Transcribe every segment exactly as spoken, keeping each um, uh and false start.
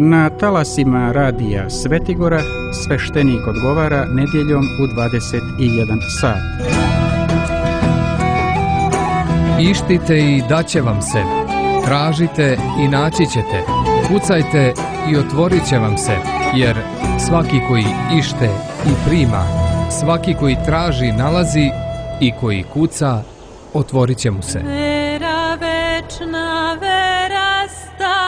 Na talasima radija Svetigora sveštenik odgovara nedjeljom u dvadeset jedan sat. Ištite i daće vam se, tražite i naći ćete, kucajte i otvorit će vam se, jer svaki koji ište i prima, svaki koji traži nalazi i koji kuca, otvorit će mu se. Vera večna, vera stara.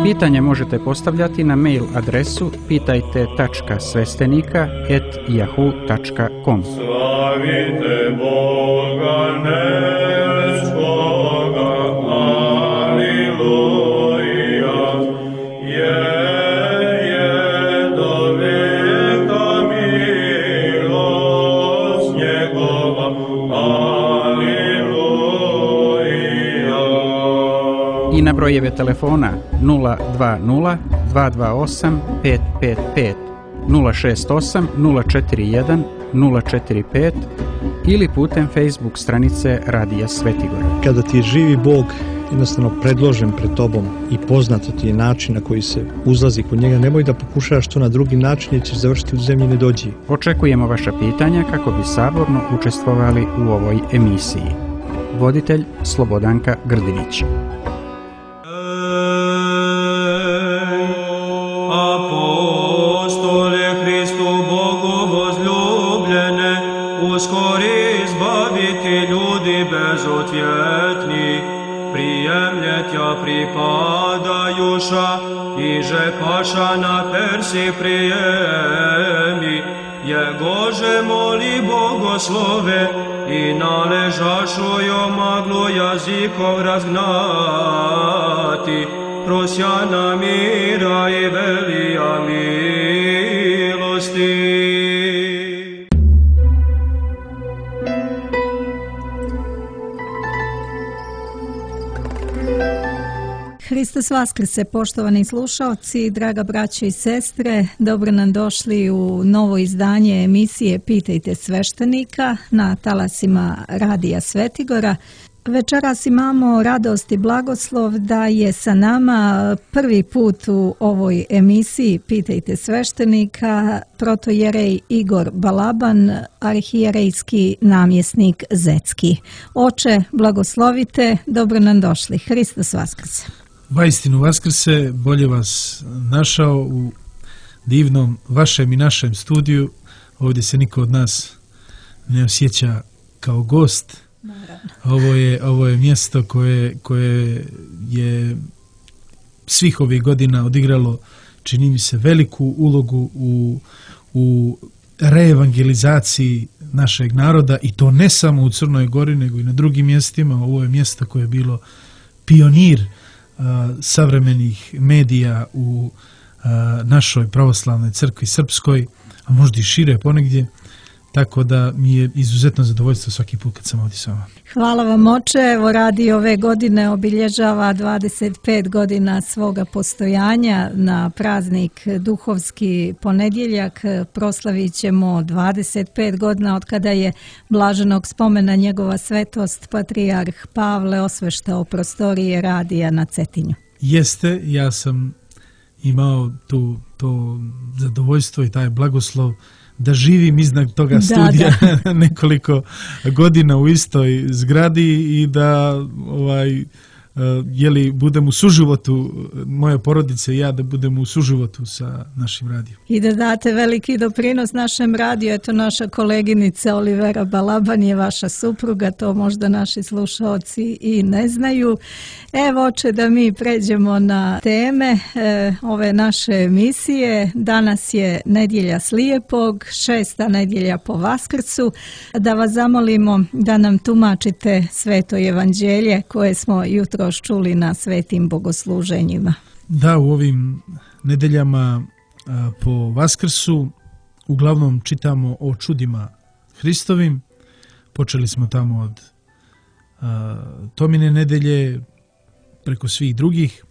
Pitanje možete postavljati na mail adresu pitajte tačka sveštenika at yahoo tačka com. Slavite Boga nebeskog, aleluja, je, je do veka milost njegova, aleluja. I na brojeve telefona nula dva nula dva dva osam pet pet pet, nula šest osam nula četiri jedan nula četiri pet ili putem Facebook stranice Radija Svetigora. Kada ti je živi Bog jednostavno predložen pred tobom i poznato ti je način na koji se uzlazi kod njega, nemoj da pokušavaš to na drugi način jer ćeš završiti u zemlji nedođi. Očekujemo vaša pitanja kako bi saborno učestvovali u ovoj emisiji. Voditelj Slobodanka Grdinić. Apostole Hristu Bogu возлюбljene, uskori izbaviti ljudi bezotjetni, prijemljetja pripadajuša, iže paša na persi prijemi, jegože moli bogoslove i naležašu jo maglu jazikov razgnati, prosjana mira i velija milosti. Hristos vaskrse, poštovani slušaoci, draga braćo i sestre, dobro nam došli u novo izdanje emisije Pitajte sveštenika na talasima Radija Svetigora. Večeras imamo radost i blagoslov da je sa nama prvi put u ovoj emisiji Pitajte sveštenika protojerej Igor Balaban, arhijerejski namjesnik Zetski. Oče, blagoslovite, dobro nam došli. Hristos vaskrse. Vaistinu vaskrse, bolje vas našao u divnom vašem i našem studiju. Ovdje se niko od nas ne osjeća kao gost. Ovo je, ovo je mjesto koje, koje je svih ovih godina odigralo, čini mi se, veliku ulogu u, u reevangelizaciji našeg naroda, i to ne samo u Crnoj Gori, nego i na drugim mjestima. Ovo je mjesto koje je bilo pionir a, savremenih medija u a, našoj pravoslavnoj crkvi srpskoj, a možda i šire ponegdje. Tako da mi je izuzetno zadovoljstvo svaki put kad sam ovdje s vama. Hvala vam, oče. Evo, radi ove godine obilježava dvadeset pet godina svoga postojanja. Na praznik Duhovski ponedjeljak proslavit ćemo dvadeset pet godina od kada je blaženog spomena njegova svetost patrijarh Pavle osveštao prostorije radija na Cetinju. Jeste, ja sam imao tu, to zadovoljstvo i taj blagoslov da živim iznad toga studija da, da. nekoliko godina u istoj zgradi i da ovaj, jeli budem u suživotu, moje porodice i ja da budem u suživotu sa našim radijom. I da date veliki doprinos našem radiju. Eto, naša koleginica Olivera Balaban je vaša supruga, to možda naši slušaoci i ne znaju. Evo, oče, da mi pređemo na teme e, ove naše emisije. Danas je nedjelja slijepog, šesta nedjelja po Vaskrsu. Da vas zamolimo da nam tumačite sveto evanđelje koje smo jutro čuli na svetim bogosluženjima. Da, u ovim nedeljama a, po Vaskrsu uglavnom čitamo o čudima Hristovim. Počeli smo tamo od a, Tomine nedelje preko svih drugih,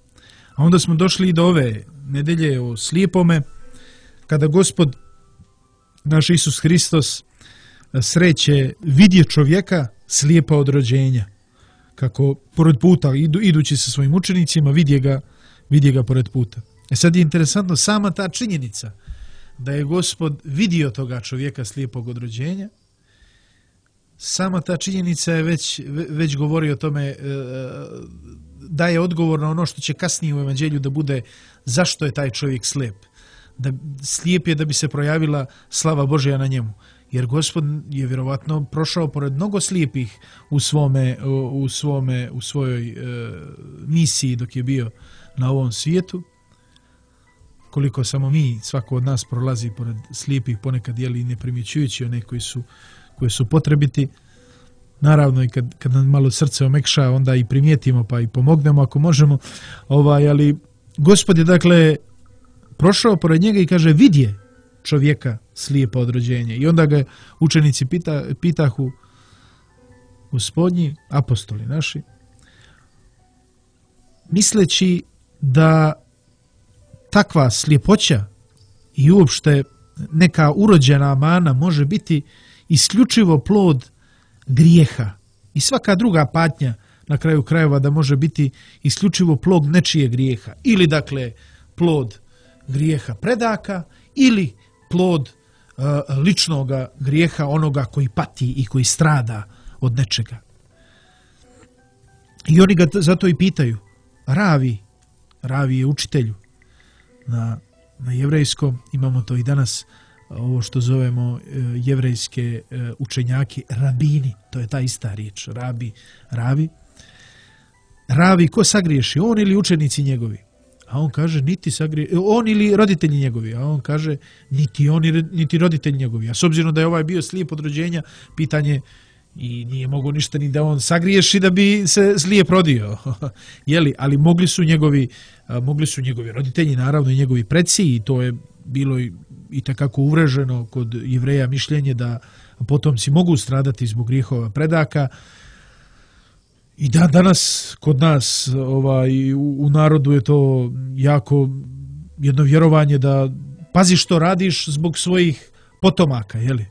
a onda smo došli i do ove nedelje o slijepome, kada Gospod naš Isus Hristos sreće vidje čovjeka slijepa od rođenja. Kako pored puta idu, idući sa svojim učenicima vidje ga vidi ga pored puta. E sad je interesantno sama ta činjenica da je Gospod vidio toga čovjeka slijepog od rođenja. Sama ta činjenica je već, već govori o tome, daje odgovor na ono što će kasnije u evanđelju da bude zašto je taj čovjek slijep. Da, slijep je da bi se projavila slava Božja na njemu. Jer Gospod je vjerovatno prošao pored mnogo slijepih u, svome, u, svome, u svojoj e, misiji dok je bio na ovom svijetu. Koliko samo mi, svako od nas prolazi pored slijepih, ponekad jeli ne primjećujući one koji su, koji su potrebiti. Naravno i kad, kad nam malo srce omekša, onda i primijetimo pa i pomognemo ako možemo. Ovaj, ali Gospod je dakle prošao pored njega i kaže vidje čovjeka slijepa od rođenja. I onda ga učenici pita, pitahu Gospodnji, apostoli naši, misleći da takva sljepoća i uopšte neka urođena mana može biti isključivo plod grijeha i svaka druga patnja na kraju krajeva da može biti isključivo plod nečije grijeha ili dakle plod grijeha predaka ili plod uh, ličnog grijeha onoga koji pati i koji strada od nečega. I oni ga zato i pitaju, Ravi, Ravi je učitelju. Na, na jevrejskom imamo to i danas, ovo što zovemo uh, jevrejske uh, učenjaki, rabini, to je ta ista riječ, rabi, ravi. Ravi, ko sagriješi, on ili učenici njegovi? A on kaže, niti sagrije, on ili roditelji njegovi, a on kaže, niti on, niti roditelji njegovi. A s obzirom da je ovaj bio slijep od rođenja, pitanje, i nije mogo ništa ni da on sagriješi da bi se slijep rodio. Jeli, ali mogli su njegovi, mogli su njegovi roditelji, naravno i njegovi preci, i to je bilo i, i takako uvreženo kod Jevreja mišljenje da potomci mogu stradati zbog grijehova predaka. I da, danas kod nas ovaj, u, u narodu je to jako jedno vjerovanje da pazi što radiš zbog svojih potomaka, jeli?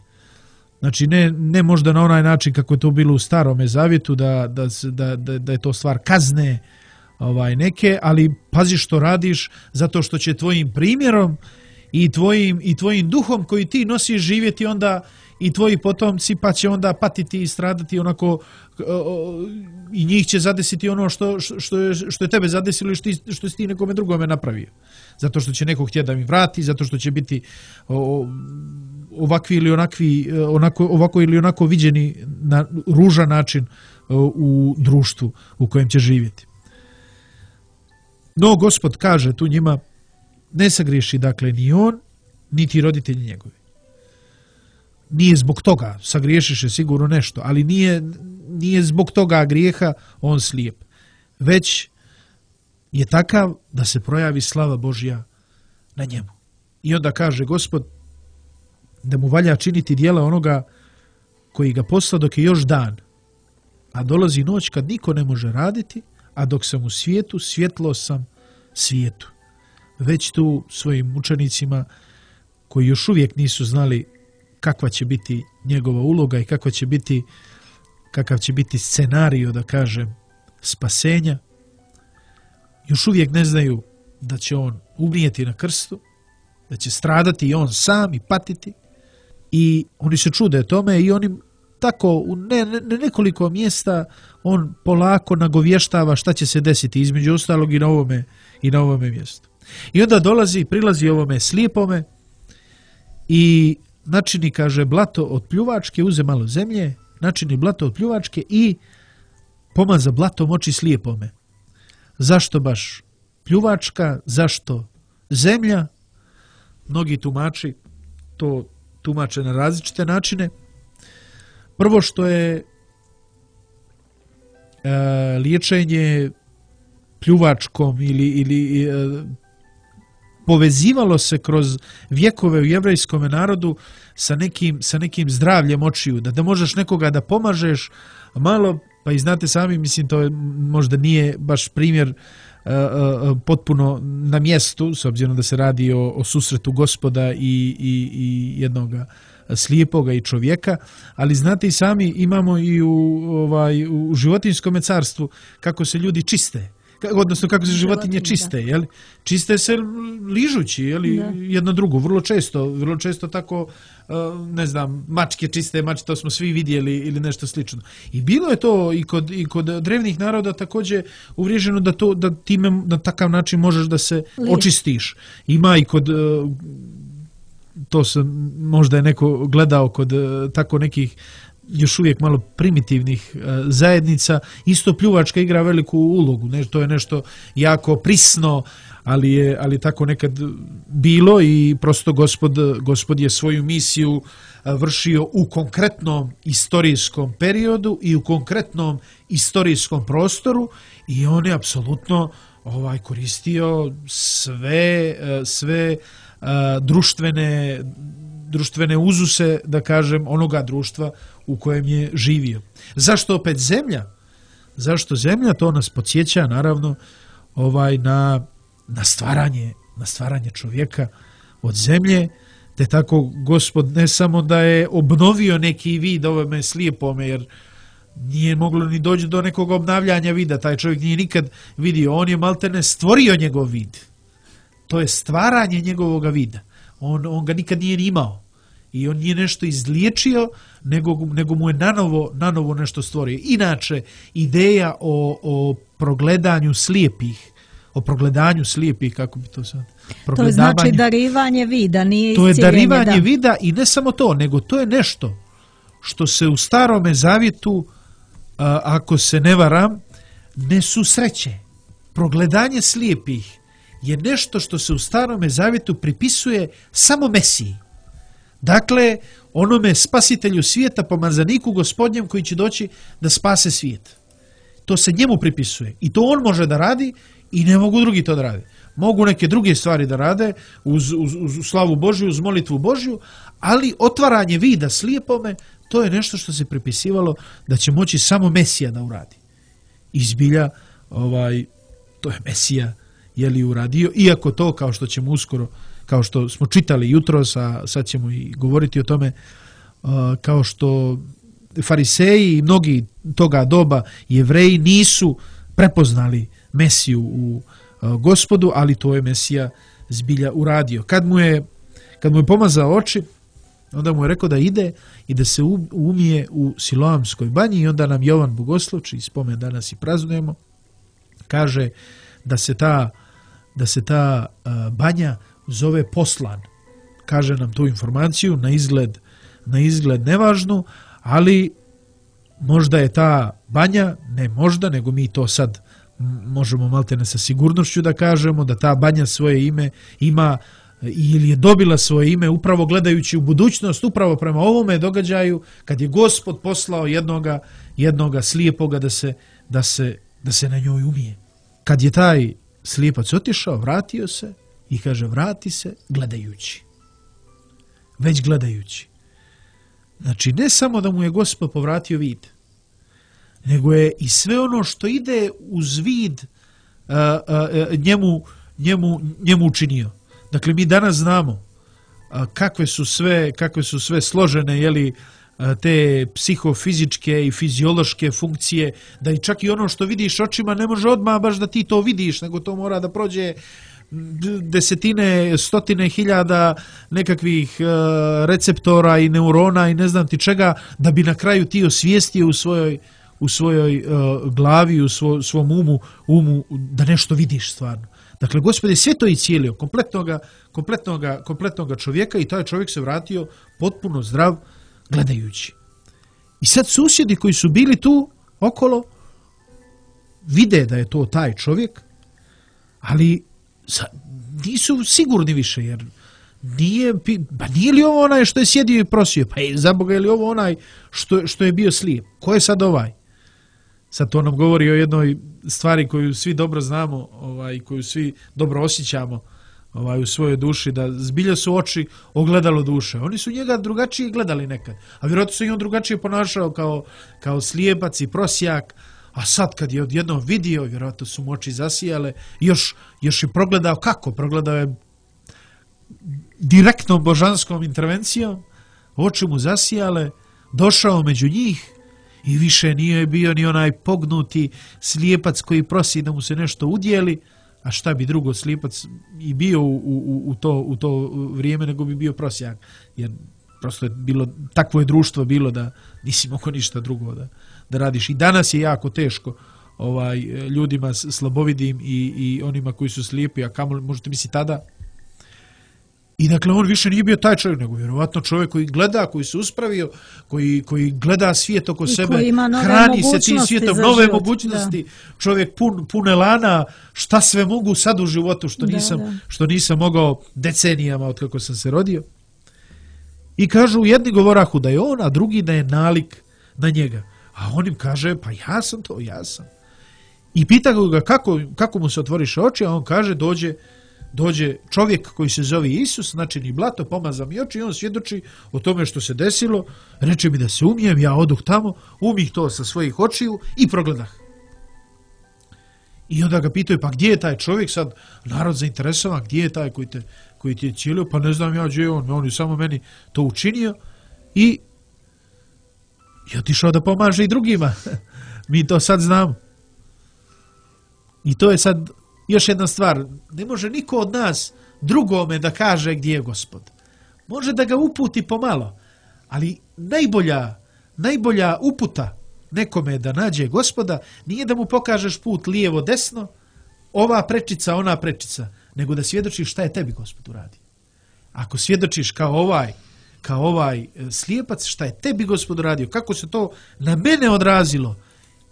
Znači ne, ne možda na onaj način kako je to bilo u Starome Zavjetu da, da, da, da, da je to stvar kazne ovaj, neke, ali pazi što radiš zato što će tvojim primjerom i tvojim, i tvojim duhom koji ti nosiš živjeti onda i tvoji potomci, pa će onda patiti i stradati onako i njih će zadesiti ono što, što, je, što je tebe zadesilo i što, što si ti nekome drugome napravio. Zato što će neko htjeti da mi vrati, zato što će biti ovakvi ili onakvi, onako, ovako ili onako viđeni na ružan način u društvu u kojem će živjeti. No, Gospod kaže tu njima, ne sagriješi dakle ni on, niti roditelji njegovi. Nije zbog toga, sagriješiše sigurno nešto, ali nije, nije zbog toga grijeha on slijep. Već je takav da se projavi slava Božja na njemu. I onda kaže Gospod da mu valja činiti djela onoga koji ga posla dok je još dan, a dolazi noć kad niko ne može raditi, a dok sam u svijetu, svjetlo sam svijetu. Već tu svojim učenicima koji još uvijek nisu znali kakva će biti njegova uloga i kakva će biti, kakav će biti scenario, da kažem, spasenja, još uvijek ne znaju da će on umrijeti na krstu, da će stradati i on sam i patiti, i oni se čude tome i oni tako u ne, ne, nekoliko mjesta on polako nagovještava šta će se desiti između ostalog i na ovome, i na ovome mjestu. I onda dolazi, prilazi ovome slijepome i načini, kaže, blato od pljuvačke, uze malo zemlje, načini blato od pljuvačke i pomaza blatom oči slijepome. Zašto baš pljuvačka, zašto zemlja? Mnogi tumači to tumače na različite načine. Prvo što je e, liječenje pljuvačkom ili, ili e, povezivalo se kroz vjekove u jevrejskom narodu sa nekim, sa nekim zdravljem očiju, da, da možeš nekoga da pomažeš malo, pa i znate sami, mislim, to je, možda nije baš primjer uh, uh, potpuno na mjestu, s obzirom da se radi o, o susretu Gospoda i, i, i jednog slijepoga i čovjeka, ali znate i sami, imamo i u, ovaj, u životinjskom carstvu kako se ljudi čiste. odnosno kako se životinje čiste, je li? Čiste se ližući, je li, jedno drugo, vrlo često, vrlo često tako, ne znam, mačke čiste, mačke, to smo svi vidjeli ili nešto slično. I bilo je to i kod, i kod drevnih naroda također uvriježeno da to, da time na takav način možeš da se očistiš. Ima i kod, to sam, možda je neko gledao kod tako nekih još uvijek malo primitivnih zajednica, isto pljuvačka igra veliku ulogu. Ne, to je nešto jako prisno, ali je ali tako nekad bilo i prosto gospod, gospod je svoju misiju vršio u konkretnom istorijskom periodu i u konkretnom istorijskom prostoru i on je apsolutno ovaj koristio sve sve uh, društvene društvene uzuse, da kažem, onoga društva u kojem je živio. Zašto opet zemlja? Zašto zemlja? To nas podsjeća naravno ovaj na na stvaranje, na stvaranje čovjeka od zemlje, te tako gospod ne samo da je obnovio neki vid ovome slijepome, jer nije moglo ni doći do nekog obnavljanja vida, taj čovjek nije nikad vidio, on je maltene stvorio njegov vid. To je stvaranje njegovog vida. On, on ga nikad nije imao. I on nije nešto izliječio, nego, nego mu je nanovo, nanovo nešto stvorio. Inače, ideja o, o progledanju slijepih, o progledanju slijepih, kako bi to sad... To je znači darivanje vida, nije iscijeljenje. To je darivanje da. vida i ne samo to, nego to je nešto što se u Starome Zavjetu, a, ako se ne varam, ne susreće. Progledanje slijepih je nešto što se u Starome Zavjetu pripisuje samo Mesiji. Dakle, onome spasitelju svijeta, pomazaniku gospodnjem koji će doći da spase svijet. To se njemu pripisuje. I to on može da radi i ne mogu drugi to da rade. Mogu neke druge stvari da rade uz, uz, uz slavu Božju, uz molitvu Božju, ali otvaranje vida slijepome, to je nešto što se pripisivalo da će moći samo Mesija da uradi. Izbilja, ovaj, to je Mesija je li uradio, iako to, kao što ćemo uskoro, kao što smo čitali jutros, a sad ćemo i govoriti o tome, kao što fariseji i mnogi toga doba Jevreji nisu prepoznali Mesiju u Gospodu, ali to je Mesija zbilja uradio. Kad mu je, kad mu je pomazao oči, onda mu je rekao da ide i da se umije u Siloamskoj banji i onda nam Jovan Bogosluv, čiji spomen danas i praznujemo, kaže da se ta, da se ta banja zove Poslan. Kaže nam tu informaciju, na izgled, na izgled nevažnu, ali možda je ta banja, ne možda, nego mi to sad možemo maltene sa sigurnošću da kažemo, da ta banja svoje ime ima ili je dobila svoje ime upravo gledajući u budućnost, upravo prema ovome događaju, kad je Gospod poslao jednoga, jednoga slijepoga da se, da, se, da se na njoj umije. Kad je taj slijepac otišao, vratio se i kaže vrati se gledajući. Već gledajući. Znači, ne samo da mu je Gospod povratio vid, nego je i sve ono što ide uz vid a, a, njemu, njemu, njemu učinio. Dakle, mi danas znamo a, kakve su sve, kakve su sve složene, jeli, a, te psihofizičke i fiziološke funkcije, da i čak i ono što vidiš očima ne može odmah baš da ti to vidiš, nego to mora da prođe desetine, stotine hiljada nekakvih uh, receptora i neurona i ne znam ti čega, da bi na kraju ti osvijestio u svojoj, u svojoj uh, glavi, u svo, svom umu, umu da nešto vidiš stvarno. Dakle, Gospod je sve to i cijelio, kompletnoga, kompletnoga, kompletnoga čovjeka i taj čovjek se vratio potpuno zdrav gledajući. I sad susjedi koji su bili tu okolo vide da je to taj čovjek, ali nisu sigurni više, jer nije, pa nije li ovo onaj što je sjedio i prosio? Pa je, za Boga, je li ovo onaj što, što je bio slijep? Ko je sad ovaj? Sad to nam govori o jednoj stvari koju svi dobro znamo, ovaj, koju svi dobro osjećamo ovaj, u svojoj duši, da zbilja su oči ogledalo duše. Oni su njega drugačije gledali nekad, a vjerojatno su i on drugačije ponašao kao, kao slijepac i prosjak. A sad kad je odjednom vidio, vjerojatno su mu oči zasijale, još, još je progledao kako? Progledao je direktnom božanskom intervencijom, oči mu zasijale, došao među njih i više nije bio ni onaj pognuti slijepac koji prosi da mu se nešto udjeli, a šta bi drugo slijepac i bio u, u, u, to, u to vrijeme nego bi bio prosjak, jer prosto je bilo, takvo je društvo bilo da nisi mogao ništa drugo da, da radiš. I danas je jako teško ovaj, ljudima slabovidim i, i onima koji su slijepi, a kamo možete misliti tada. I dakle, on više nije bio taj čovjek, nego vjerovatno čovjek koji gleda, koji se uspravio, koji, koji gleda svijet oko I sebe, hrani se tim svijetom, nove život, mogućnosti, da. Čovjek pun, pun elana, šta sve mogu sad u životu, što, da, nisam, da. što nisam mogao decenijama od kako sam se rodio. I kažu, jedni govorahu da je on, a drugi da je nalik na njega. A on im kaže, pa ja sam to, ja sam. I pita ga kako, kako mu se otvoriše oči, a on kaže, dođe dođe čovjek koji se zove Isus, znači ni blato, pomaza mi oči i on svjedoči o tome što se desilo, reče mi da se umijem, ja oduh tamo, umih to sa svojih očiju i progledah. I onda ga pitaju, pa gdje je taj čovjek sad, narod zainteresovan, gdje je taj koji te, koji ti je cijelio, pa ne znam ja gdje je on, on je samo meni to učinio i je otišao da pomaže i drugima. Mi to sad znamo. I to je sad još jedna stvar, ne može niko od nas drugome da kaže gdje je Gospod. Može da ga uputi pomalo, ali najbolja, najbolja uputa nekome da nađe Gospoda nije da mu pokažeš put lijevo desno, ova prečica, ona prečica, nego da svjedočiš šta je tebi Gospod uradio. Ako svjedočiš kao ovaj, kao ovaj slijepac, šta je tebi Gospod uradio, kako se to na mene odrazilo,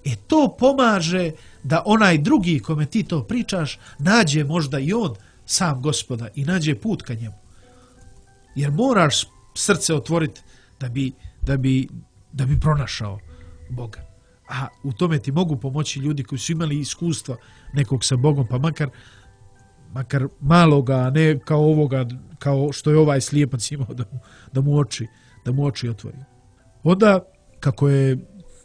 e to pomaže da onaj drugi kome ti to pričaš nađe možda i on sam Gospoda i nađe put ka njemu. Jer moraš srce otvoriti da bi, da bi, da bi pronašao Boga. A u tome ti mogu pomoći ljudi koji su imali iskustva nekog sa Bogom, pa makar, makar maloga, a ne kao ovoga, kao što je ovaj slijepac imao da mu, da mu oči, da mu oči otvori. Onda, kako je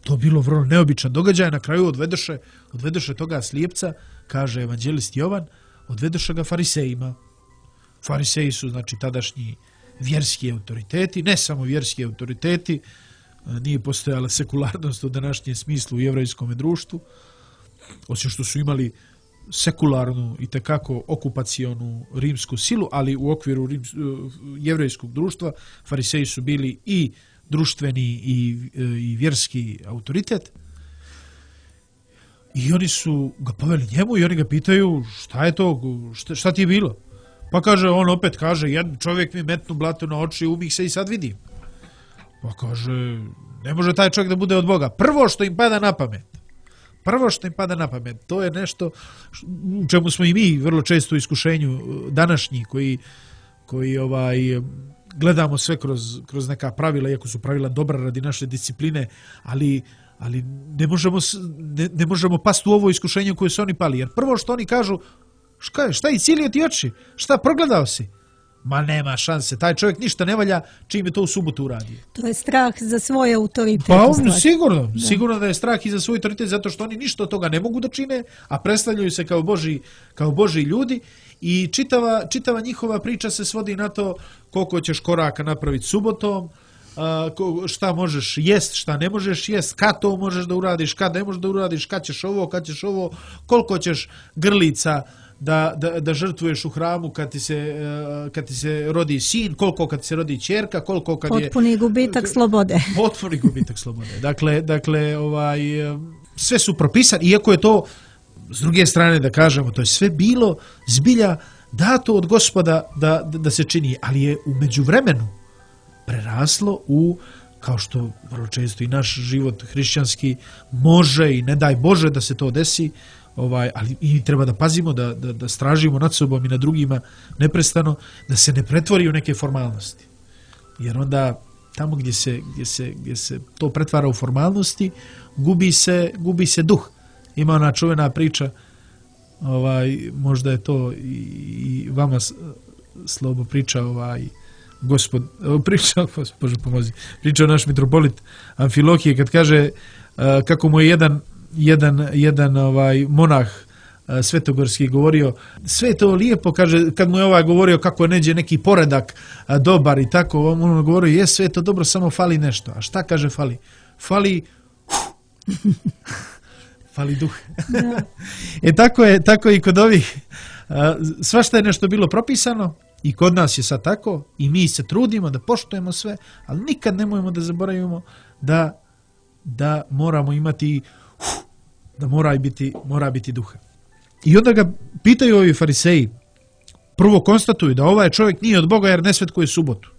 to bilo vrlo neobičan događaj, na kraju odvedoše, odvedoše toga slijepca, kaže evanđelist Jovan, odvedoše ga farisejima. Fariseji su, znači, tadašnji vjerski autoriteti, ne samo vjerski autoriteti, nije postojala sekularnost u današnjem smislu u jevrejskom društvu, osim što su imali sekularnu i tekako okupacionu rimsku silu, ali u okviru rims, jevrejskog društva fariseji su bili i društveni i, i vjerski autoritet. I oni su ga poveli njemu i oni ga pitaju šta je to, šta, šta ti je bilo? Pa kaže, on opet kaže, jedan čovjek mi metnu blato na oči, umih se i sad vidim. Pa kaže, ne može taj čovjek da bude od Boga. Prvo što im pada na pamet, prvo što im pada na pamet, to je nešto u čemu smo i mi vrlo često u iskušenju današnji, koji, koji ovaj, gledamo sve kroz, kroz neka pravila, iako su pravila dobra radi naše discipline, ali, ali ne, možemo, ne, ne možemo pasti u ovo iskušenje koje su oni pali. Jer prvo što oni kažu, šta, šta i cijelio ti oči? Šta, progledao si? Ma nema šanse, taj čovjek ništa ne valja čim je to u subotu uradio. To je strah za svoj autoritet. Pa on, sigurno, da. sigurno da je strah i za svoj autoritet, zato što oni ništa od toga ne mogu da čine, a predstavljaju se kao Božji, kao Božji ljudi i čitava, čitava njihova priča se svodi na to koliko ćeš koraka napraviti subotom, šta možeš jest, šta ne možeš jest, kad to možeš da uradiš, kad ne možeš da uradiš, kad ćeš ovo, kad ćeš ovo, koliko ćeš grlica Da, da, da žrtvuješ u hramu kad ti, se, kad ti se rodi sin, koliko kad ti se rodi ćerka, koliko kad potpuni je... Potpuni gubitak slobode. Potpuni gubitak slobode. Dakle, dakle ovaj, sve su propisani, iako je to, s druge strane da kažemo, to je sve bilo zbilja dato od Gospoda da, da, da se čini, ali je u međuvremenu preraslo u, kao što vrlo često i naš život hrišćanski može i ne daj Bože da se to desi, Ovaj, ali i treba da pazimo, da, da, da stražimo nad sobom i nad drugima neprestano, da se ne pretvori u neke formalnosti. Jer onda tamo gdje se, gdje se, gdje se to pretvara u formalnosti, gubi se, gubi se duh. Ima ona čuvena priča, ovaj, možda je to i, i vama Slobo priča, ovaj, gospod, priča, Bože pomozi, priča naš mitropolit Amfilohije kad kaže uh, kako mu je jedan jedan, jedan ovaj monah a, svetogorski govorio, sve to lijepo, kaže, kad mu je ovaj govorio kako je neđe neki poredak a, dobar i tako, on mu govorio, je sve to dobro, samo fali nešto. A šta kaže fali? Fali uf, Fali duh. E tako je, tako i kod ovih. Svašta je nešto bilo propisano i kod nas je sad tako i mi se trudimo da poštujemo sve, ali nikad nemojmo da zaboravimo da, da moramo imati, da mora biti, mora biti duha. I onda ga pitaju ovi fariseji, prvo konstatuju da ovaj čovjek nije od Boga jer ne svetkuje subotu.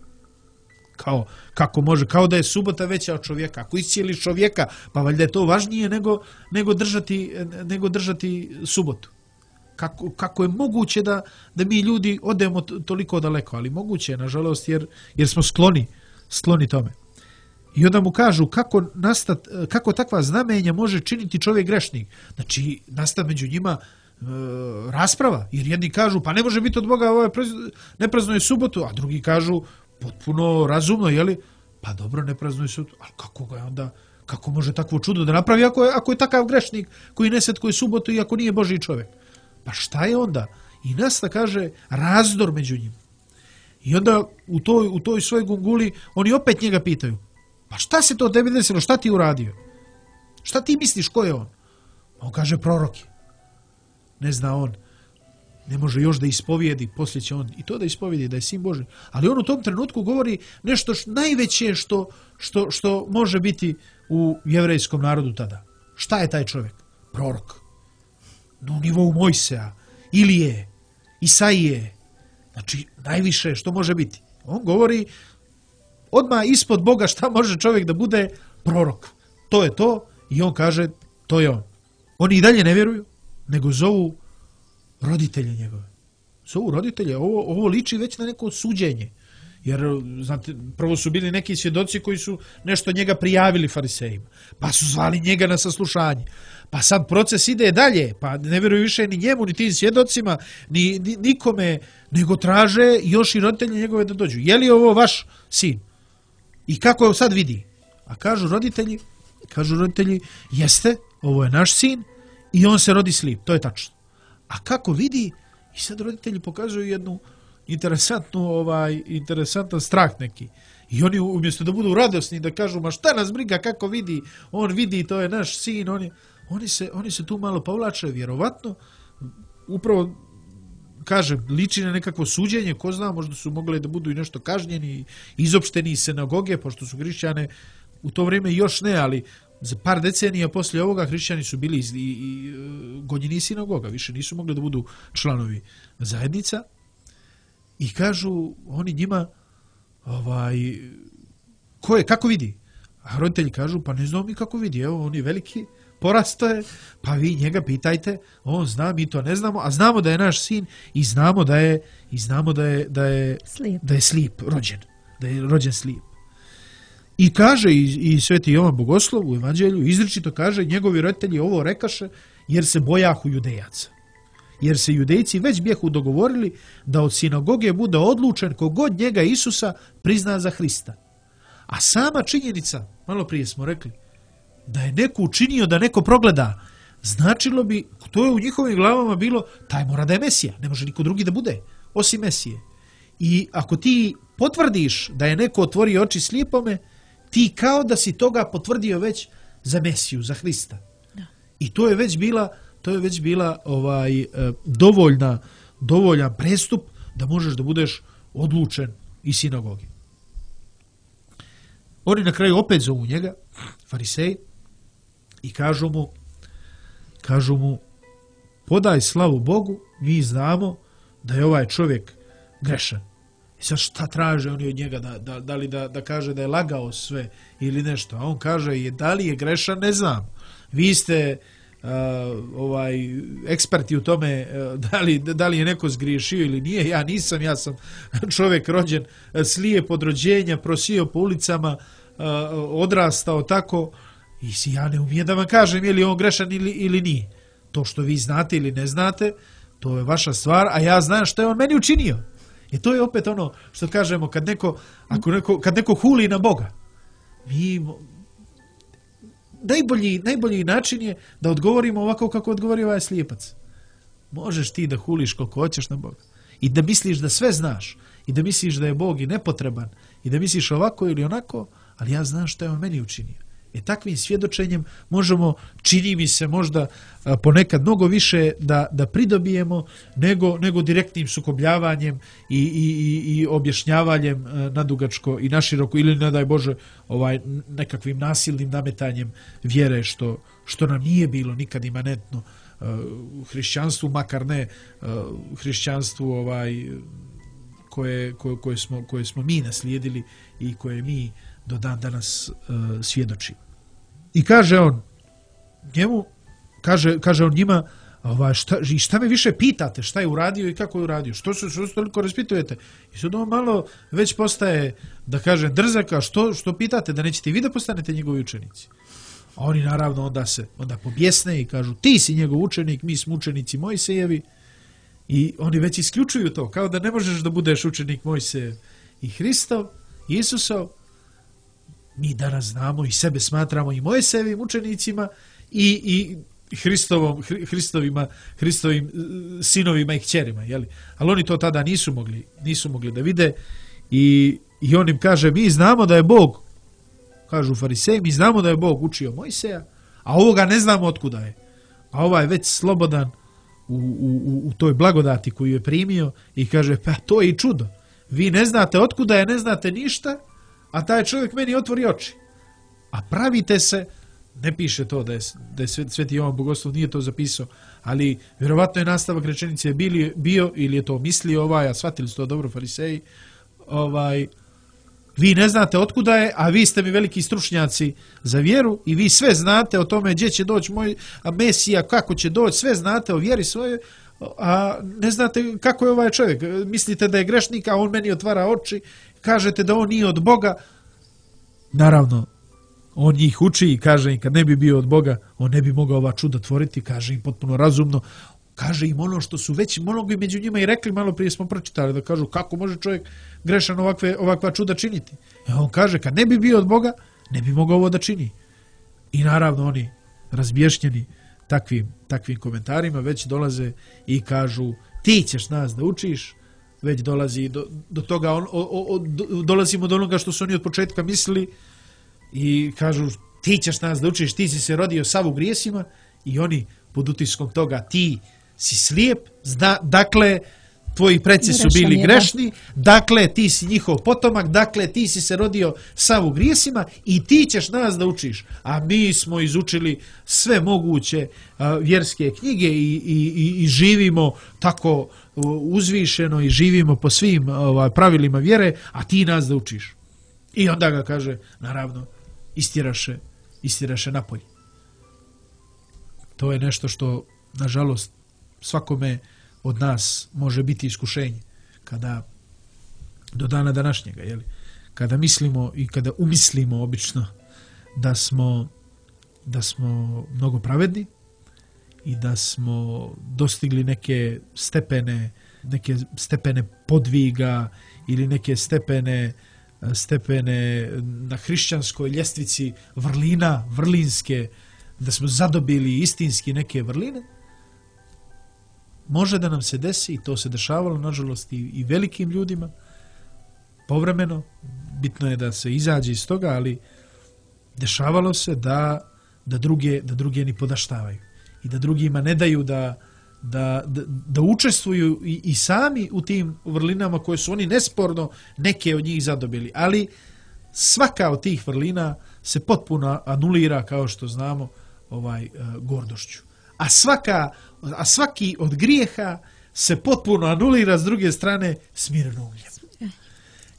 Kao, kako može, kao da je subota veća od čovjeka. Ako iscijeliš čovjeka, pa valjda je to važnije nego, nego, držati, nego držati subotu. Kako, kako je moguće da, da mi ljudi odemo toliko daleko, ali moguće je, nažalost, jer, jer smo skloni, skloni tome. I onda mu kažu kako, nastat, kako takva znamenja može činiti čovjek grešnik. Znači, nasta među njima e, rasprava, jer jedni kažu, pa ne može biti od Boga, ovaj ne praznuje subotu, a drugi kažu, potpuno razumno, jeli? Pa dobro, ne praznuje subotu, ali kako ga je onda, kako može takvo čudo da napravi ako je, ako je takav grešnik koji ne svetkuje subotu i ako nije Božji čovjek? Pa šta je onda? I nasta, kaže, razdor među njima. I onda u toj, u toj svojoj gunguli oni opet njega pitaju, pa šta se to tebi desilo, šta ti uradio? Šta ti misliš, ko je on? On kaže, prorok je. Ne zna on, ne može još da ispovijedi, poslije će on i to da ispovijedi, da je sin Božji. Ali on u tom trenutku govori nešto š, najveće što, što, što može biti u jevrejskom narodu tada. Šta je taj čovjek? Prorok. Na nivou Mojsea, Ilije, Isaije. Znači, najviše što može biti. On govori odmah ispod Boga šta može čovjek da bude prorok. To je to i on kaže, to je on. Oni i dalje ne vjeruju, nego zovu roditelje njegove. Zovu roditelje, ovo, ovo liči već na neko suđenje. Jer, znate, prvo su bili neki svjedoci koji su nešto njega prijavili farisejima. Pa su zvali njega na saslušanje. Pa sad proces ide dalje, pa ne vjeruju više ni njemu, ni tim svjedocima, ni, ni nikome, nego traže još i roditelje njegove da dođu. Je li ovo vaš sin? I kako je sad vidi? A kažu roditelji, kažu roditelji, jeste, ovo je naš sin i on se rodi slijep, to je tačno. A kako vidi? I sad roditelji pokazuju jednu interesantnu, ovaj, interesantan strah neki. I oni umjesto da budu radosni, da kažu, ma šta nas briga, kako vidi, on vidi, to je naš sin, on je, oni, se, oni se tu malo povlače, vjerovatno, upravo, kažem, liči na nekakvo suđenje, ko zna, možda su mogli da budu i nešto kažnjeni, izopšteni iz sinagoge, pošto su hrišćane u to vrijeme još ne, ali za par decenija poslije ovoga hrišćani su bili i, i, i gonjeni sinagoga, više nisu mogli da budu članovi zajednica. I kažu oni njima, ovaj, ko je, kako vidi? A roditelji kažu, pa ne znamo mi kako vidi, evo, on je veliki, porasto je, pa vi njega pitajte, on zna, mi to ne znamo, a znamo da je naš sin i znamo da je, i znamo da je, da je, slijep. da je slijep, rođen, da je rođen slijep. I kaže i, i sveti Jovan Bogoslov u evanđelju, izričito kaže, njegovi roditelji ovo rekaše jer se bojahu judejaca. Jer se judejci već bijehu dogovorili da od sinagoge bude odlučen kogod njega Isusa prizna za Hrista. A sama činjenica, malo prije smo rekli, da je neko učinio da neko progleda, značilo bi, to je u njihovim glavama bilo, taj mora da je Mesija, ne može niko drugi da bude, osim Mesije. I ako ti potvrdiš da je neko otvorio oči slijepome, ti kao da si toga potvrdio već za Mesiju, za Hrista. Da. I to je već bila, to je već bila ovaj dovoljna, dovoljan prestup da možeš da budeš odlučen iz sinagoge. Oni na kraju opet zovu njega, fariseji, i kažu mu, kažu mu, podaj slavu Bogu, mi znamo da je ovaj čovjek grešan. I sad šta traže oni od njega, da, da, da li da, da kaže da je lagao sve ili nešto, a on kaže, je, da li je grešan, ne znam. Vi ste uh, ovaj eksperti u tome, uh, da, li, da li je neko zgriješio ili nije, ja nisam, ja sam čovjek rođen slijep od rođenja, prosio po ulicama, uh, odrastao tako, i si ja ne umijem da vam kažem je li on grešan ili, ili nije. To što vi znate ili ne znate, to je vaša stvar, a ja znam što je on meni učinio. I to je opet ono što kažemo, kad neko, ako neko, kad neko huli na Boga, mi, najbolji, najbolji način je da odgovorimo ovako kako odgovori ovaj slijepac. Možeš ti da huliš koliko hoćeš na Boga i da misliš da sve znaš i da misliš da je Bog i nepotreban i da misliš ovako ili onako, ali ja znam što je on meni učinio. E takvim svjedočenjem možemo, čini mi se možda ponekad mnogo više da, da pridobijemo nego, nego direktnim sukobljavanjem i, i, i objašnjavanjem nadugačko i naširoko ili ne daj Bože ovaj, nekakvim nasilnim nametanjem vjere što, što nam nije bilo nikad imanentno u hrišćanstvu, makar ne u hrišćanstvu ovaj, koje, koje, koje, smo, koje smo mi naslijedili i koje mi do dan danas uh, svjedoči. I kaže on njemu, kaže, kaže on njima, ovaj, šta, šta me više pitate, šta je uradio i kako je uradio, što se što toliko raspitujete? I sad on malo već postaje, da kažem, drzaka, što, što pitate, da nećete i vi da postanete njegovi učenici? A oni naravno onda se onda pobjesne i kažu, ti si njegov učenik, mi smo učenici Mojsejevi. I oni već isključuju to, kao da ne možeš da budeš učenik Mojsejev i Hristov, Isusov. Mi danas znamo i sebe smatramo i Mojsejevim učenicima i, i Hristovom, Hristovima, Hristovim sinovima i kćerima, jeli? Ali oni to tada nisu mogli, nisu mogli da vide i, i on im kaže, mi znamo da je Bog, kažu fariseji, mi znamo da je Bog učio Mojseja, a ovoga ne znamo otkuda je. A ovaj je već slobodan u, u, u toj blagodati koju je primio i kaže, pa to je i čudo. Vi ne znate otkuda je, ne znate ništa, a taj čovjek meni otvori oči. A pravite se, ne piše to da je, da je Sveti Jovan Bogoslov nije to zapisao, ali vjerovatno je nastavak rečenice bili, bio, ili je to mislio ovaj, a shvatili su to dobro fariseji, ovaj, vi ne znate otkuda je, a vi ste mi veliki stručnjaci za vjeru i vi sve znate o tome gdje će doći moj Mesija, kako će doći, sve znate o vjeri svojoj, a ne znate kako je ovaj čovjek. Mislite da je grešnik, a on meni otvara oči, kažete da on nije od Boga. Naravno, on njih uči i kaže im kad ne bi bio od Boga, on ne bi mogao ova čuda tvoriti, kaže im potpuno razumno, kaže im ono što su već mnogi među njima i rekli, malo prije smo pročitali, da kažu kako može čovjek grešan ovakve, ovakva čuda činiti. I on kaže kad ne bi bio od Boga, ne bi mogao ovo da čini. I naravno oni razbješnjeni takvim, takvim komentarima već dolaze i kažu ti ćeš nas da učiš, već dolazi do, do toga, on, o, o, do, dolazimo do onoga što su oni od početka mislili i kažu ti ćeš nas da učiš, ti si se rodio sav u grijesima i oni pod utiskom toga ti si slijep, zna, dakle tvoji preci su bili grešni, dakle ti si njihov potomak, dakle ti si se rodio sav u grijesima i ti ćeš nas da učiš. A mi smo izučili sve moguće a, vjerske knjige i, i, i, i živimo tako uzvišeno i živimo po svim ovaj, pravilima vjere, a ti nas da učiš. I onda ga kaže, naravno, istiraše, istiraše napolje. To je nešto što, nažalost, svakome od nas može biti iskušenje. Kada, do dana današnjega, jeli, kada mislimo i kada umislimo obično da smo, da smo mnogo pravedni i da smo dostigli neke stepene, neke stepene podviga ili neke stepene stepene na hrišćanskoj ljestvici vrlina, vrlinske, da smo zadobili istinski neke vrline, može da nam se desi, i to se dešavalo, nažalost, i, i velikim ljudima, povremeno, bitno je da se izađe iz toga, ali dešavalo se da, da, druge, da druge ni podaštavaju i da drugima ne daju da, da, da, da učestvuju i, i sami u tim vrlinama koje su oni nesporno neke od njih zadobili. Ali svaka od tih vrlina se potpuno anulira, kao što znamo, ovaj uh, gordošću. A, svaka, a svaki od grijeha se potpuno anulira s druge strane smirenougljem.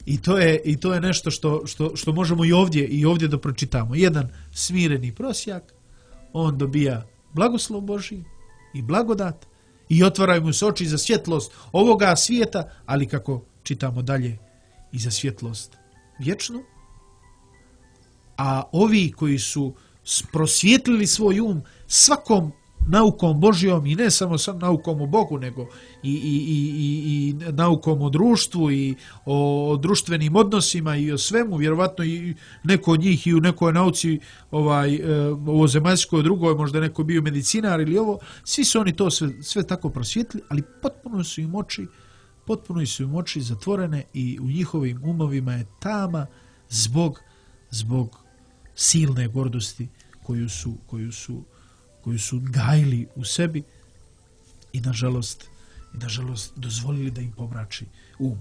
I to je, i to je nešto što, što, što možemo i ovdje, i ovdje da pročitamo. Jedan smireni prosjak, on dobija blagoslov Božji i blagodat i otvaraju mu se oči za svjetlost ovoga svijeta, ali kako čitamo dalje, i za svjetlost vječnu. A ovi koji su prosvjetlili svoj um svakom naukom Božjom, i ne samo sam naukom o Bogu, nego i, i, i, i naukom o društvu i o društvenim odnosima i o svemu, vjerovatno i neko od njih i u nekoj nauci ovaj, ovo zemaljskoj, drugoj, možda neko bio medicinar ili ovo, svi su oni to sve, sve tako prosvjetli, ali potpuno su im oči, potpuno su im oči zatvorene i u njihovim umovima je tama zbog, zbog silne gordosti koju su, koju su, koju su gajili u sebi i nažalost, i nažalost dozvolili da im pomrači um.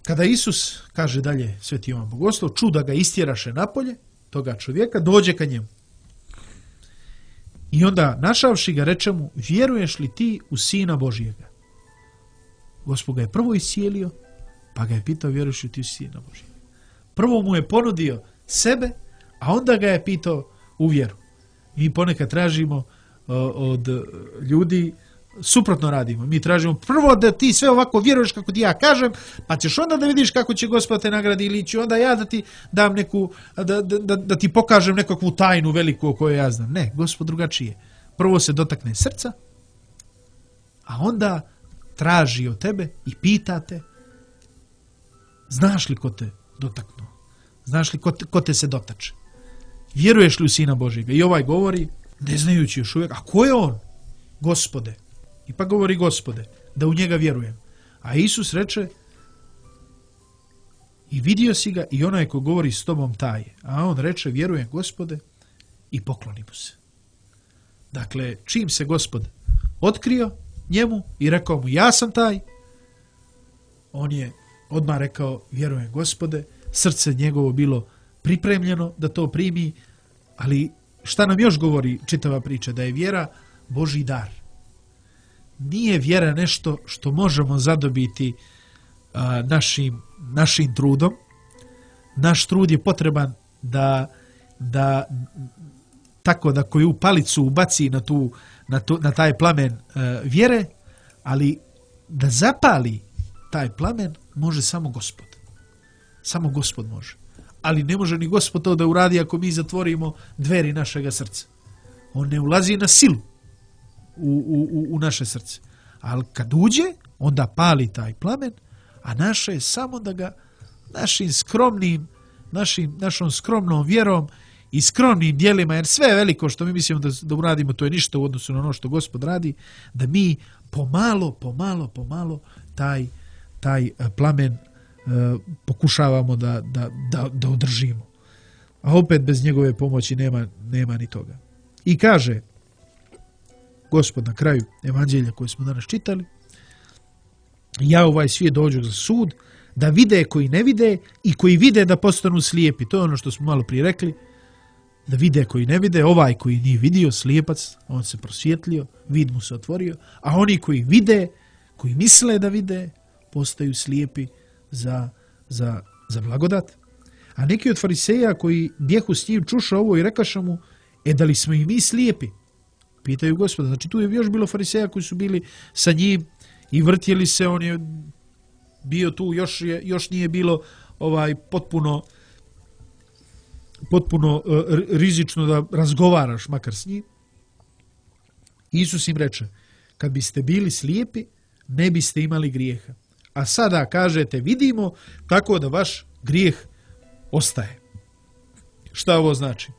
Kada Isus, kaže dalje Sveti Jovan Bogoslov, ču da ga istjeraše napolje, toga čovjeka, dođe ka njemu. I onda, našavši ga, reče mu, vjeruješ li ti u Sina Božijega? Gospod ga je prvo iscijelio, pa ga je pitao, vjeruješ li ti u Sina Božijega? Prvo mu je ponudio sebe, a onda ga je pitao u vjeru. Mi ponekad tražimo uh, od ljudi, suprotno radimo. Mi tražimo prvo da ti sve ovako vjeruješ kako ti ja kažem, pa ćeš onda da vidiš kako će Gospod te nagradi, ili ću onda ja da ti dam neku, da, da, da, da ti pokažem nekakvu tajnu veliku o kojoj ja znam. Ne, Gospod drugačije. Prvo se dotakne srca, a onda traži od tebe i pita te, znaš li ko te dotaknuo? Znaš li ko te, ko te se dotače? Vjeruješ li u Sina Božjega? I ovaj govori, ne znajući još uvijek, a ko je on? Gospode. I pa govori Gospode, da u njega vjerujem. A Isus reče, i vidio si ga i onaj ko govori s tobom taj. A on reče, vjerujem Gospode, i pokloni mu se. Dakle, čim se Gospod otkrio njemu i rekao mu, ja sam taj, on je odmah rekao, vjerujem Gospode, srce njegovo bilo pripremljeno da to primi, ali šta nam još govori čitava priča? Da je vjera Božji dar. Nije vjera nešto što možemo zadobiti a, našim, našim trudom. Naš trud je potreban da, da tako da koju palicu ubaci na, tu, na, tu, na taj plamen a, vjere, ali da zapali taj plamen može samo Gospod. Samo Gospod može. Ali ne može ni Gospod to da uradi ako mi zatvorimo dveri našega srca. On ne ulazi na silu u, u, u naše srce. Ali kad uđe, onda pali taj plamen, a naše je samo da ga našim skromnim, našim, našom skromnom vjerom i skromnim djelima, jer sve je veliko što mi mislimo da, da uradimo, to je ništa u odnosu na ono što Gospod radi, da mi pomalo, pomalo, pomalo taj, taj plamen uh, pokušavamo da, da, da, da održimo. A opet bez njegove pomoći nema, nema ni toga. I kaže Gospod na kraju evanđelja koje smo danas čitali, ja u ovaj svijet dođu za sud, da vide koji ne vide i koji vide da postanu slijepi. To je ono što smo malo prije rekli, da vide koji ne vide, ovaj koji nije vidio, slijepac, on se prosvjetlio, vid mu se otvorio, a oni koji vide, koji misle da vide, postaju slijepi za, za, za blagodat. A neki od fariseja koji bjehu s njim čuša ovo i rekaša mu, e da li smo i mi slijepi? Pitaju Gospoda. Znači tu je još bilo fariseja koji su bili sa njim i vrtjeli se, on je bio tu, još, je, još nije bilo ovaj potpuno potpuno uh, rizično da razgovaraš makar s njim. Isus im reče, kad biste bili slijepi, ne biste imali grijeha. A sada kažete, vidimo, tako da vaš grijeh ostaje. Šta ovo znači?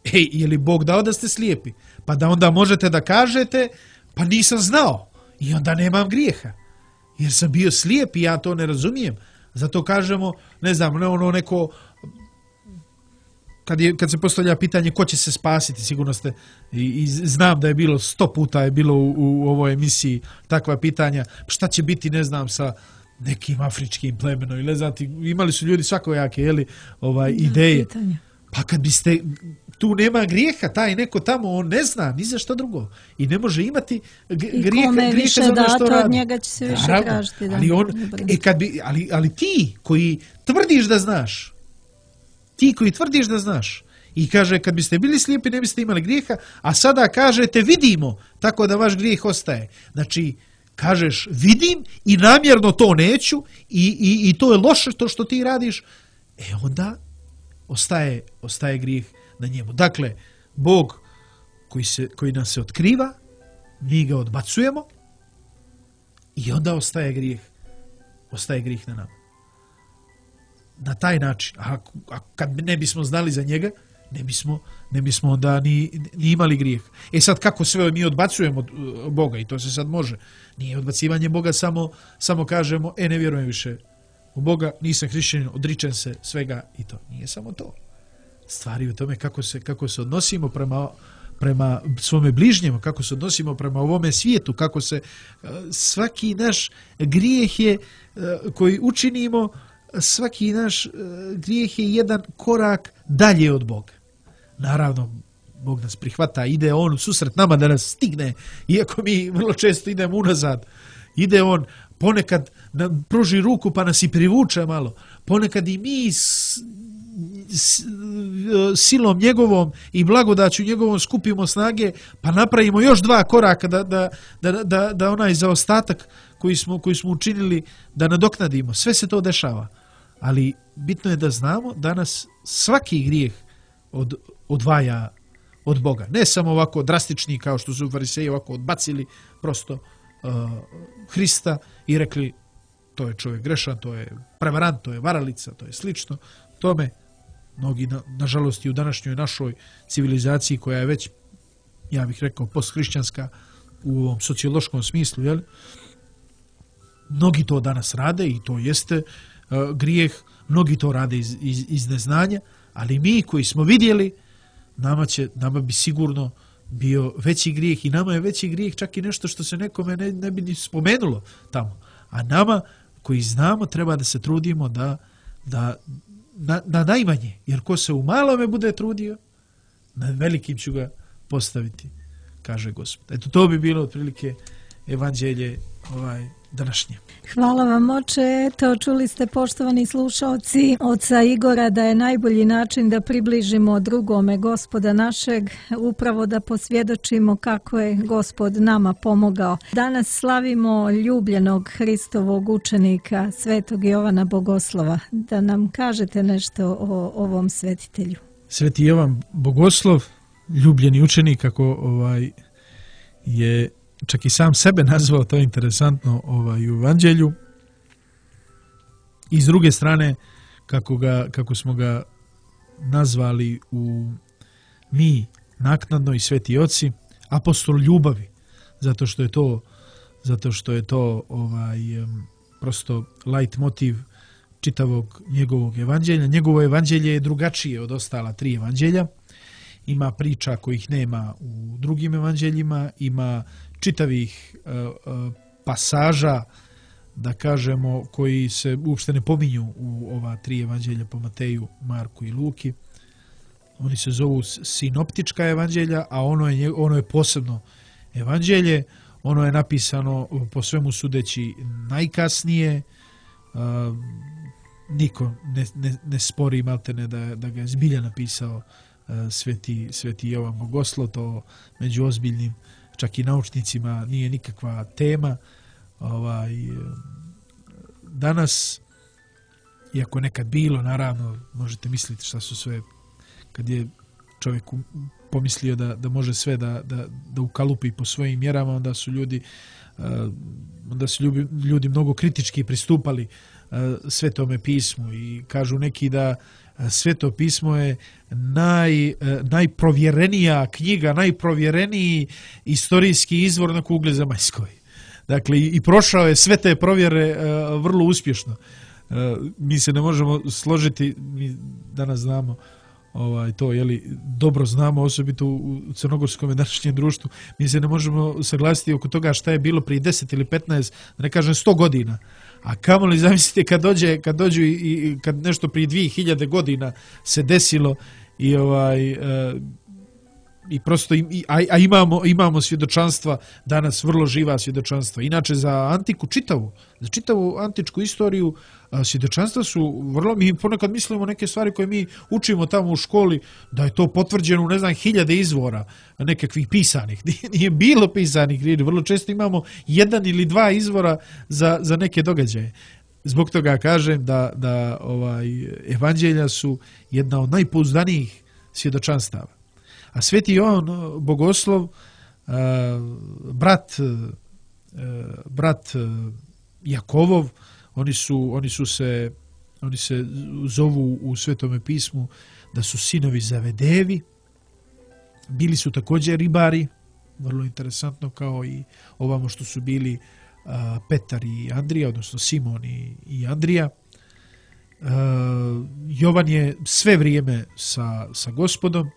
Ej, je li Bog dao da ste slijepi? Pa da onda možete da kažete, pa nisam znao i onda nemam grijeha. Jer sam bio slijep i ja to ne razumijem. Zato kažemo, ne znam, ne ono neko, kad, je, kad se postavlja pitanje ko će se spasiti, sigurno ste, i, i znam da je bilo sto puta je bilo u, u ovoj emisiji takva pitanja, šta će biti, ne znam, sa nekim afričkim plemenom, ili znati, imali su ljudi svakojake, jeli, ovaj, ideje. Pitanje. Pa kad biste, tu nema grijeha, taj neko tamo, on ne zna ni za što drugo. I ne može imati grijeha, grijeha za ono što radi. Od njega će se više Naravno, tražiti. Da, ali, on, e kad bi, ali, ali ti koji tvrdiš da znaš, ti koji tvrdiš da znaš, i kaže kad biste bili slijepi ne biste imali grijeha, a sada kažete vidimo, tako da vaš grijeh ostaje. Znači, kažeš vidim i namjerno to neću i, i, i to je loše to što ti radiš, e onda ostaje, ostaje grijeh na njemu. Dakle, Bog koji, se, koji nas se otkriva, mi ga odbacujemo i onda ostaje grijeh. Ostaje grijeh na nama. Na taj način. A, a kad ne bismo znali za njega, ne bismo, ne bismo onda ni, ni imali grijeh. E sad, kako sve mi odbacujemo od Boga, i to se sad može. Nije odbacivanje Boga, samo, samo kažemo, e, ne vjerujem više u Boga, nisam hrišćanin, odričem se svega i to. Nije samo to. Stvari u tome kako se, kako se odnosimo prema, prema svome bližnjemu, kako se odnosimo prema ovome svijetu, kako se svaki naš grijeh je koji učinimo, svaki naš grijeh je jedan korak dalje od Boga. Naravno, Bog nas prihvata, ide on u susret nama da nas stigne, iako mi vrlo često idemo unazad. Ide on ponekad nam pruži ruku pa nas i privuče malo. Ponekad i mi s, s, silom njegovom i blagodaću njegovom skupimo snage pa napravimo još dva koraka da, da, da, da, da onaj zaostatak koji smo, koji smo učinili da nadoknadimo. Sve se to dešava. Ali bitno je da znamo da nas svaki grijeh od, odvaja od Boga. Ne samo ovako drastični kao što su fariseji ovako odbacili prosto uh, Hrista i rekli to je čovjek grešan, to je prevarant, to je varalica, to je slično. Tome mnogi, na, nažalost, i u današnjoj našoj civilizaciji koja je već, ja bih rekao, posthrišćanska u ovom sociološkom smislu, jel? Mnogi to danas rade i to jeste uh, grijeh, mnogi to rade iz, iz, iz neznanja, ali mi koji smo vidjeli, nama, će, nama bi sigurno bio veći grijeh i nama je veći grijeh čak i nešto što se nekome ne, ne bi ni spomenulo tamo. A nama koji znamo treba da se trudimo da, da na, na najmanje, jer ko se u malome bude trudio, na velikim ću ga postaviti, kaže Gospod. Eto, to bi bilo otprilike evanđelje ovaj, današnje. Hvala vam, oče. Eto, čuli ste, poštovani slušalci, oca Igora, da je najbolji način da približimo drugome Gospoda našeg, upravo da posvjedočimo kako je Gospod nama pomogao. Danas slavimo ljubljenog Hristovog učenika, svetog Jovana Bogoslova. Da nam kažete nešto o ovom svetitelju. Sveti Jovan Bogoslov, ljubljeni učenik, kako ovaj, je čak i sam sebe nazvao, to je interesantno ovaj, u evanđelju. I s druge strane, kako, ga, kako smo ga nazvali u mi naknadno i sveti oci, apostol ljubavi, zato što je to, zato što je to ovaj, prosto lajt motiv čitavog njegovog evanđelja. Njegovo evanđelje je drugačije od ostala tri evanđelja. Ima priča kojih nema u drugim evanđeljima, ima čitavih uh, uh, pasaža, da kažemo, koji se uopšte ne pominju u ova tri evanđelja po Mateju, Marku i Luki. Oni se zovu sinoptička evanđelja, a ono je, ono je posebno evanđelje. Ono je napisano po svemu sudeći najkasnije. Uh, niko ne, ne, ne spori maltene da, da ga je zbilja napisao uh, sveti, sveti Jovan Bogoslov. To među ozbiljnim čak i naučnicima nije nikakva tema. Ovaj, danas, iako nekad bilo, naravno, možete misliti šta su sve, kad je čovjek pomislio da, da može sve da, da, da ukalupi po svojim mjerama, onda su ljudi, onda su ljudi, ljudi mnogo kritički pristupali Svetome pismu i kažu neki da Sveto pismo je naj, najprovjerenija knjiga, najprovjereniji istorijski izvor na kugli zemaljskoj. Dakle, i prošao je sve te provjere uh, vrlo uspješno. Uh, mi se ne možemo složiti, mi danas znamo ovaj, to, jeli, dobro znamo, osobito u crnogorskom današnjem društvu, mi se ne možemo saglasiti oko toga šta je bilo prije deset ili petnaest, da ne kažem sto godina. A kamoli zamislite kad dođe, kad dođu i, i kad nešto prije dvije hiljade godina se desilo i ovaj uh, i prosto i, a, a imamo imamo svjedočanstva danas, vrlo živa svjedočanstva. Inače za antiku čitavu, za čitavu antičku istoriju a, svjedočanstva su vrlo, mi ponekad mislimo neke stvari koje mi učimo tamo u školi da je to potvrđeno u ne znam hiljade izvora nekakvih pisanih. Nije, nije bilo pisanih riječi, vrlo često imamo jedan ili dva izvora za, za neke događaje. Zbog toga kažem da, da ovaj evanđelja su jedna od najpouzdanijih svjedočanstava. A sveti Jovan Bogoslov, brat, brat Jakovov, oni su, oni su se, oni se zovu u Svetome pismu da su sinovi Zavedevi, bili su također ribari, vrlo interesantno, kao i ovamo što su bili Petar i Andrija, odnosno Simon i, i Andrija. Jovan je sve vrijeme sa, sa Gospodom.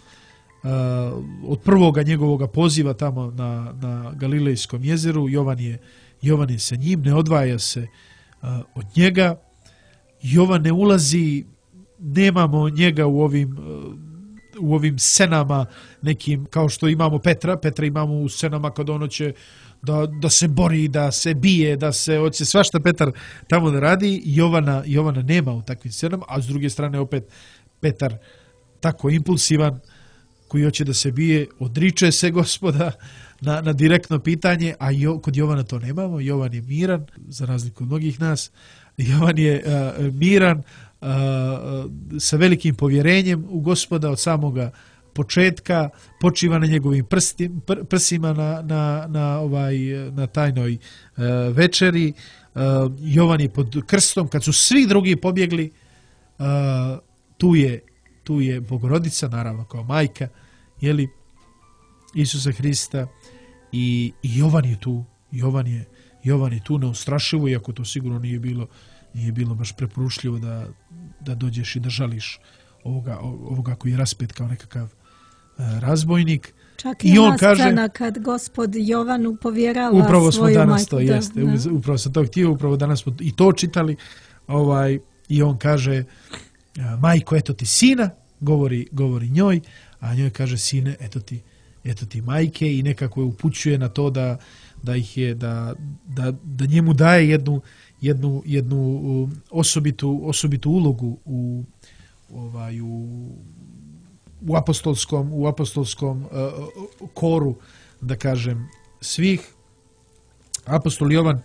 Od prvoga njegovoga poziva tamo na, na Galilejskom jezeru Jovan je, Jovan je sa njim, ne odvaja se od njega. Jovan ne ulazi, nemamo njega u ovim u ovim scenama nekim, kao što imamo Petra. Petra imamo u scenama kad ono će da, da se bori, da se bije, da se hoće svašta Petar tamo da radi. Jovana, Jovana nema u takvim scenama, a s druge strane opet Petar tako impulsivan, koji hoće da se bije, odriče se Gospoda na, na direktno pitanje, a jo, kod Jovana to nemamo. Jovan je miran, za razliku od mnogih nas. Jovan je uh, miran, uh, sa velikim povjerenjem u Gospoda od samoga početka, počiva na njegovim prsti, pr, prsima na, na, na, ovaj, na tajnoj uh, večeri. Uh, Jovan je pod krstom, kad su svi drugi pobjegli, uh, tu je tu je Bogorodica, naravno kao majka, jeli, Isusa Hrista, i, i Jovan je tu, Jovan je, Jovan je tu neustrašivo, iako to sigurno nije bilo, nije bilo baš preporučljivo da, da dođeš i da žališ ovoga, ovoga koji je raspet kao nekakav uh, razbojnik. Čak i, I on kaže, kad Gospod Jovanu povjerava upravo svoju smo danas majku, to da, jeste, da. upravo sam to htio, upravo danas smo i to čitali, ovaj, i on kaže, majko, eto ti sina, govori, govori njoj, a njoj kaže, sine, eto ti, eto ti majke, i nekako je upućuje na to da, da ih je, da, da, da njemu daje jednu, jednu, jednu osobitu, osobitu ulogu u, ovaj, u, u apostolskom, u apostolskom uh, koru, da kažem, svih. Apostol Jovan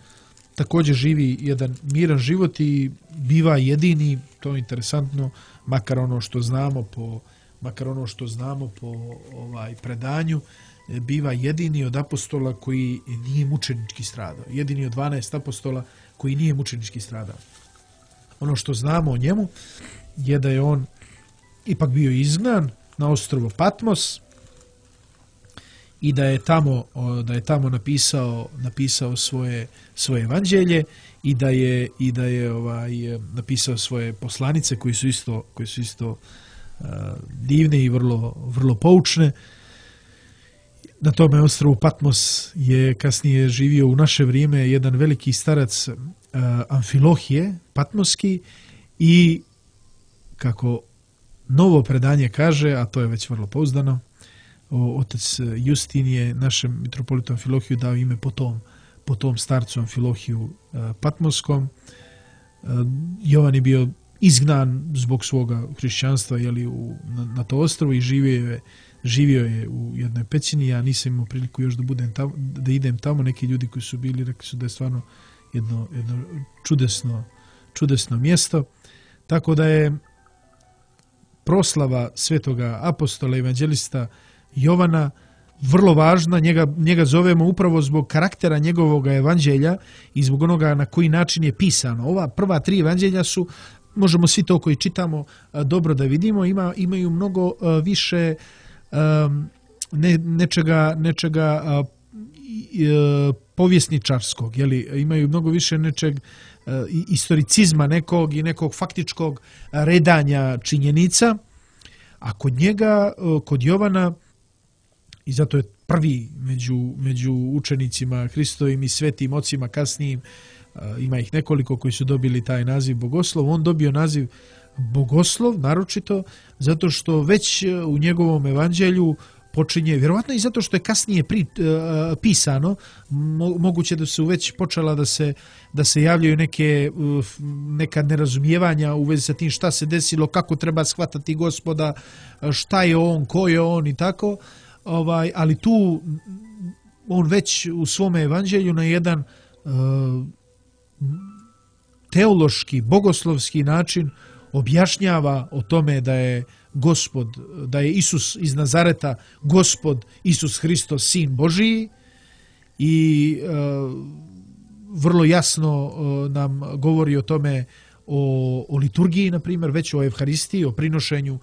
također živi jedan miran život i biva jedini, to je interesantno, makar ono što znamo po, makar ono što znamo po ovaj predanju, biva jedini od apostola koji nije mučenički stradao. Jedini od dvanaest apostola koji nije mučenički stradao. Ono što znamo o njemu je da je on ipak bio izgnan na ostrvo Patmos i da je tamo, da je tamo napisao, napisao svoje, svoje evanđelje i da je, i da je ovaj, napisao svoje poslanice koji su isto, koji su isto uh, divne i vrlo, vrlo poučne. Na tome ostrvu Patmos je kasnije živio u naše vrijeme jedan veliki starac uh, Amfilohije, patmoski, i kako novo predanje kaže, a to je već vrlo pouzdano, otac Justin je našem mitropolitu Amfilohiju dao ime po tom, po tom starcu Amfilohiju uh, patmoskom. Uh, Jovan je bio izgnan zbog svoga hrišćanstva, jeli, u, na, na to ostrvo, i živio je, živio je u jednoj pećini. Ja nisam imao priliku još da, budem tamo, da idem tamo. Neki ljudi koji su bili rekli su da je stvarno jedno, jedno čudesno, čudesno mjesto. Tako da je proslava svetoga apostola evanđelista Jovana vrlo važna. Njega, njega zovemo upravo zbog karaktera njegovog evanđelja i zbog onoga na koji način je pisano. Ova prva tri evanđelja su, možemo svi to koji čitamo dobro da vidimo, ima, imaju mnogo više um, ne, nečega, nečega uh, uh, povjesničarskog, jeli? Imaju mnogo više nečeg uh, historicizma nekog i nekog faktičkog redanja činjenica, a kod njega, uh, kod Jovana, i zato je prvi među, među učenicima Hristovim i svetim ocima kasnijim, ima ih nekoliko koji su dobili taj naziv Bogoslov, on dobio naziv Bogoslov naročito zato što već u njegovom evanđelju počinje, vjerovatno i zato što je kasnije pri, uh, pisano, mo, moguće da su već počela da se, da se javljaju neke, uh, neka nerazumijevanja u vezi sa tim šta se desilo, kako treba shvatati Gospoda, šta je on, ko je on i tako. Ovaj, ali tu on već u svome evanđelju na jedan uh, teološki, bogoslovski način objašnjava o tome da je Gospod, da je Isus iz Nazareta Gospod Isus Hristos, Sin Božiji, i uh, vrlo jasno uh, nam govori o tome, o, o liturgiji, na primjer, već o Evharistiji, o prinošenju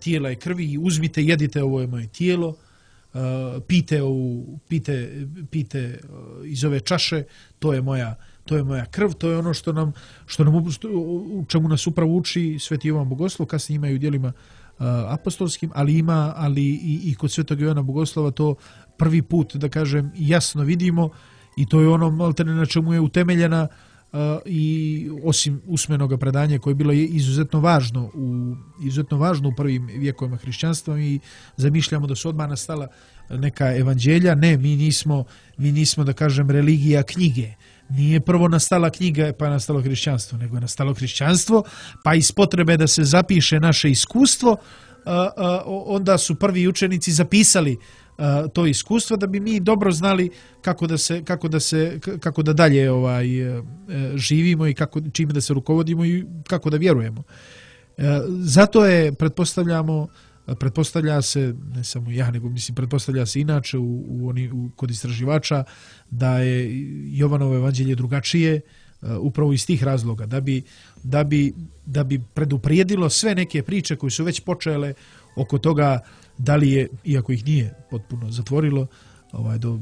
tijela i krvi. Uzmite, jedite, ovo je moje tijelo. Uh, pite, u, pite, pite uh, iz ove čaše, to je moja, to je moja krv, to je ono što nam, što nam što, u čemu nas upravo uči Sveti Jovan Bogoslov, kasnije ima i u djelima uh, apostolskim, ali ima ali i, i kod Svetog Jovana Bogoslova to prvi put, da kažem, jasno vidimo i to je ono maltene na čemu je utemeljena uh, i osim usmenoga predanja koje je bilo izuzetno važno u, izuzetno važno u prvim vjekovima hrišćanstva i zamišljamo da su odmah nastala neka evanđelja. Ne, mi nismo, mi nismo da kažem religija knjige. Nije prvo nastala knjiga pa je nastalo hrišćanstvo, nego je nastalo hrišćanstvo, pa iz potrebe da se zapiše naše iskustvo, a, a, onda su prvi učenici zapisali a, to iskustvo da bi mi dobro znali kako da se kako da se kako da dalje ovaj živimo i kako čime da se rukovodimo i kako da vjerujemo. A, zato je pretpostavljamo pretpostavlja se, ne samo ja, nego mislim pretpostavlja se inače u, u, oni, u, kod istraživača da je Jovanovo evanđelje drugačije uh, upravo iz tih razloga, da bi, da, bi, da bi preduprijedilo sve neke priče koje su već počele oko toga da li je, iako ih nije potpuno zatvorilo, ovaj, do,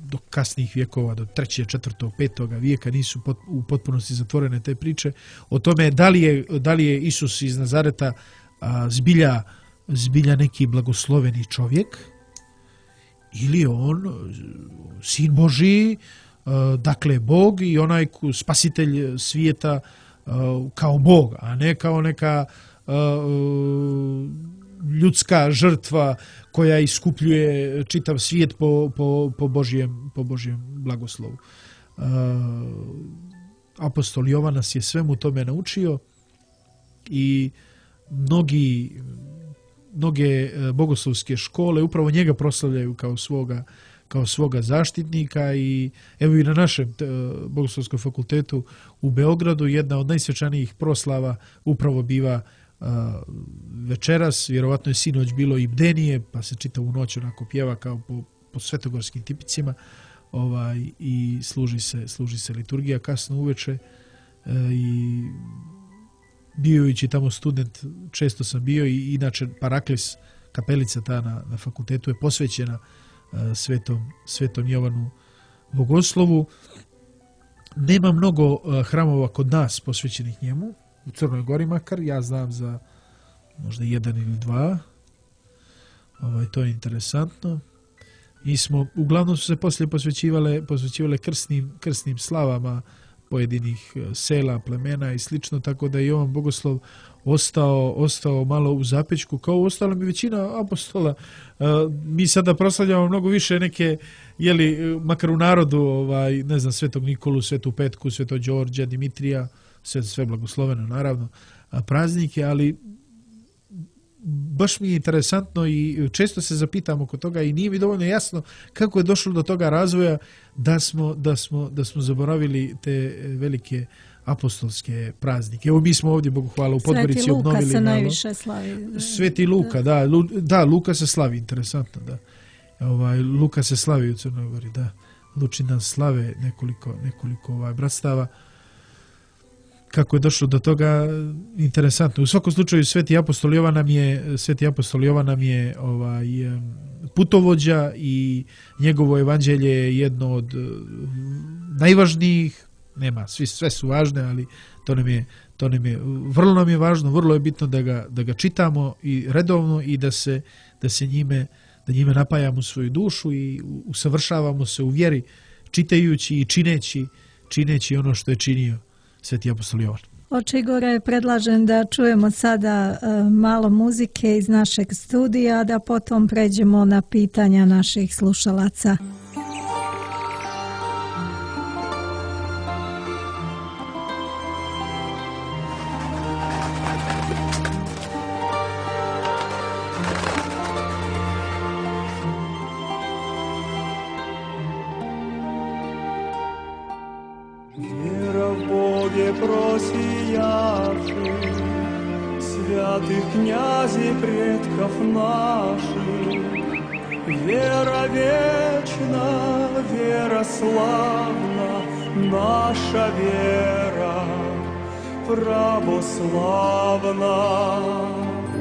do kasnih vjekova, do trećeg, četvrtog, petog vijeka nisu pot, u potpunosti zatvorene te priče, o tome da li je, da li je Isus iz Nazareta a, zbilja zbilja neki blagosloveni čovjek ili je on sin Božiji, dakle Bog i onaj spasitelj svijeta kao Bog, a ne kao neka ljudska žrtva koja iskupljuje čitav svijet po, po, po, Božijem, po Božijem blagoslovu. Apostol Jovan nas je svemu tome naučio i mnogi mnoge bogoslovske škole upravo njega proslavljaju kao svoga, kao svoga zaštitnika i evo i na našem bogoslovskom fakultetu u Beogradu jedna od najsvečanijih proslava upravo biva uh, večeras, vjerovatno je sinoć bilo i bdenije, pa se čitavu noć onako pjeva kao po, po svetogorskim tipicima ovaj, i služi se, služi se liturgija kasno uveče uh, i bijući tamo student, često sam bio i inače Paraklis, kapelica ta na, na fakultetu je posvećena uh, svetom, svetom Jovanu Bogoslovu. Nema mnogo uh, hramova kod nas posvećenih njemu, u Crnoj Gori makar, ja znam za možda jedan ili dva. Ovaj, to je interesantno. Mi smo, uglavnom su se poslije posvećivale, posvećivale krsnim, krsnim slavama pojedinih sela, plemena i slično, tako da je Jovan Bogoslov ostao, ostao malo u zapečku, kao ostala mi većina apostola. Mi sada proslavljamo mnogo više neke, jeli, makar u narodu, ovaj, ne znam, Svetog Nikolu, Svetu Petku, Svetog Đorđa, Dimitrija, sve, sve blagosloveno, naravno, praznike, ali baš mi je interesantno i često se zapitam oko toga i nije mi dovoljno jasno kako je došlo do toga razvoja da smo, da smo, da smo zaboravili te velike apostolske praznike. Evo mi smo ovdje, Bogu hvala, u Podgorici obnovili. Sveti Luka se najviše slavi. Sveti Luka, da, Lu, da, Luka se slavi, interesantno, da. Ovaj, Luka se slavi u Crnoj Gori, da. Lučina slave nekoliko, nekoliko ovaj, bratstava. Kako je došlo do toga, interesantno. U svakom slučaju Sveti apostol Jovan nam je, Sveti apostol Jovan nam je ovaj, putovođa i njegovo evanđelje je jedno od najvažnijih, nema, svi, sve su važne, ali to nam je, to nam je, vrlo nam je važno, vrlo je bitno da ga, da ga čitamo i redovno i da se, da se njime, da njime napajamo svoju dušu i usavršavamo se u vjeri, čitajući i čineći, čineći ono što je činio Sveti apostol Jovan. Oče Igore, predlažem da čujemo sada uh, malo muzike iz našeg studija, da potom pređemo na pitanja naših slušalaca. Князей предков наших, вера вечна, вера славна, наша вера православна.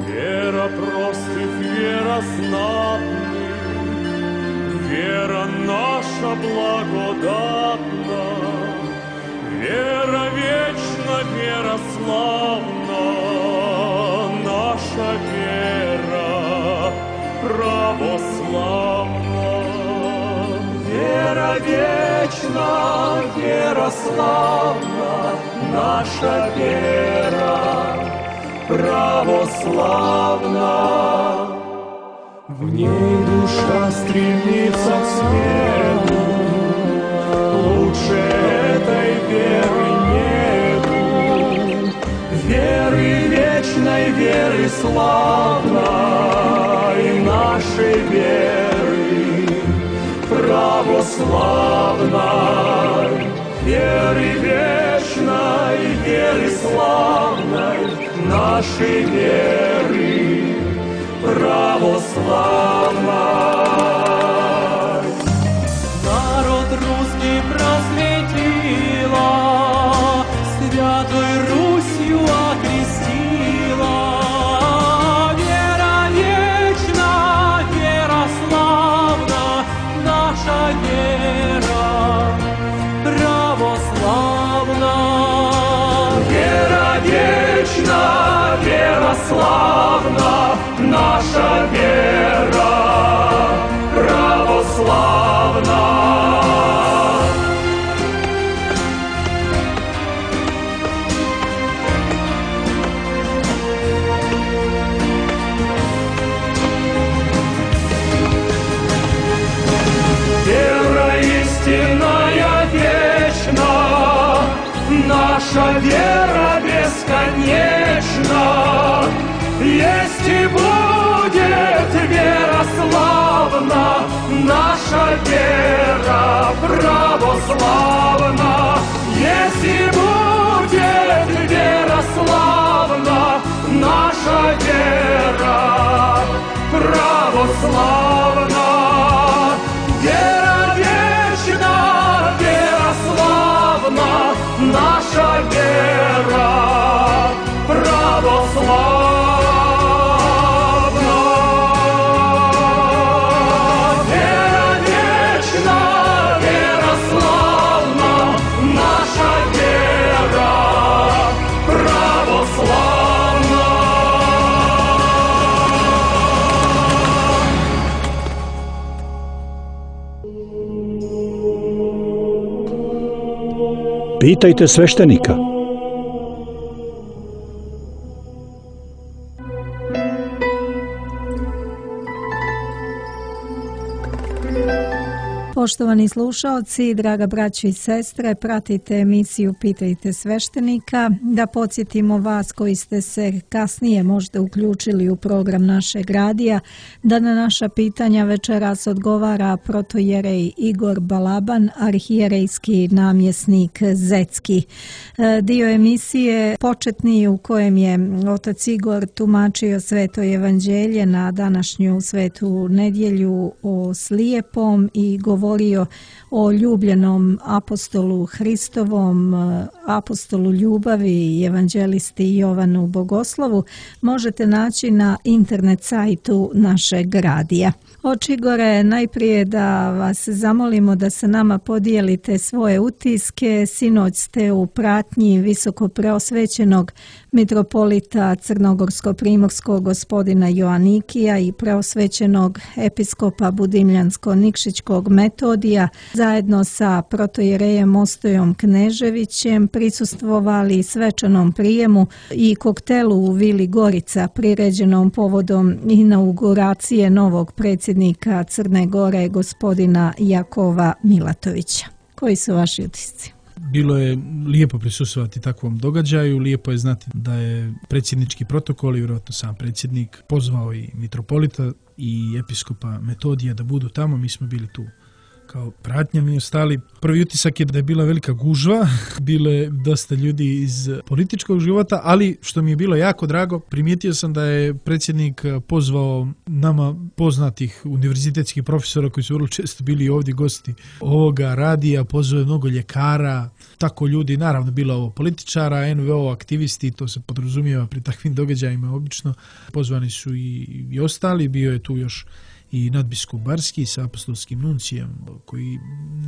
Вера простых, вера знатных, вера наша благодатна, вечно вера славна, наша вера православна. Вера вечна, вера славна, наша вера православна. В ней душа стремится к свету, лучше этой веры нету. Веры вечной, веры славной, нашей веры православной. Веры вечной, веры славной, нашей веры православной. Народ русский просветила, Святой Русью окрестила. Вера вечна, вера славна, наша вера православна. Вера вечна, вера славна, наша вера православна. Вера истинная вечна, наша вера бесконечна. Есть и будет вера славна, наша вера православна. Есть и будет вера славна, наша вера православна. Вера вечна, вера славна, наша вера православна. Pitajte sveštenika. Poštovani slušaoci, draga braćo i sestre, pratite emisiju Pitajte sveštenika. Da podsjetimo vas koji ste se kasnije možda uključili u program našeg radija, da na naša pitanja večeras odgovara protojerej Igor Balaban, arhijerejski namjesnik Zetski. Dio emisije početni u kojem je otac Igor tumačio Sveto evanđelje na današnju svetu nedjelju o slijepom i govorio o ljubljenom apostolu Hristovom, apostolu ljubavi i evanđelisti Jovanu Bogoslovu, možete naći na internet sajtu našeg radija. Oče Igore, najprije da vas zamolimo da se nama podijelite svoje utiske. Sinoć ste u pratnji visoko preosvećenog mitropolita Crnogorsko-primorskog gospodina Joanikija i preosvećenog episkopa Budimljansko-Nikšićkog Metodija zajedno sa protojerejem Ostojom Kneževićem prisustvovali svečanom prijemu i koktelu u Vili Gorica priređenom povodom inauguracije novog predsjednika Crne Gore gospodina Jakova Milatovića. Koji su vaši utisci? Bilo je lijepo prisustvovati takvom događaju, lijepo je znati da je predsjednički protokol i vjerojatno sam predsjednik pozvao i mitropolita i episkopa Metodija da budu tamo. Mi smo bili tu kao pratnja mi ostali. Prvi utisak je da je bila velika gužva, bilo je dosta ljudi iz političkog života, ali što mi je bilo jako drago, primijetio sam da je predsjednik pozvao nama poznatih univerzitetskih profesora koji su vrlo često bili ovdje gosti ovoga radija, pozvao je mnogo ljekara, tako ljudi, naravno bilo ovo političara, en ve o aktivisti, to se podrazumijeva pri takvim događajima obično, pozvani su i, i ostali, bio je tu još i nadbiskup Barski sa apostolskim nuncijem koji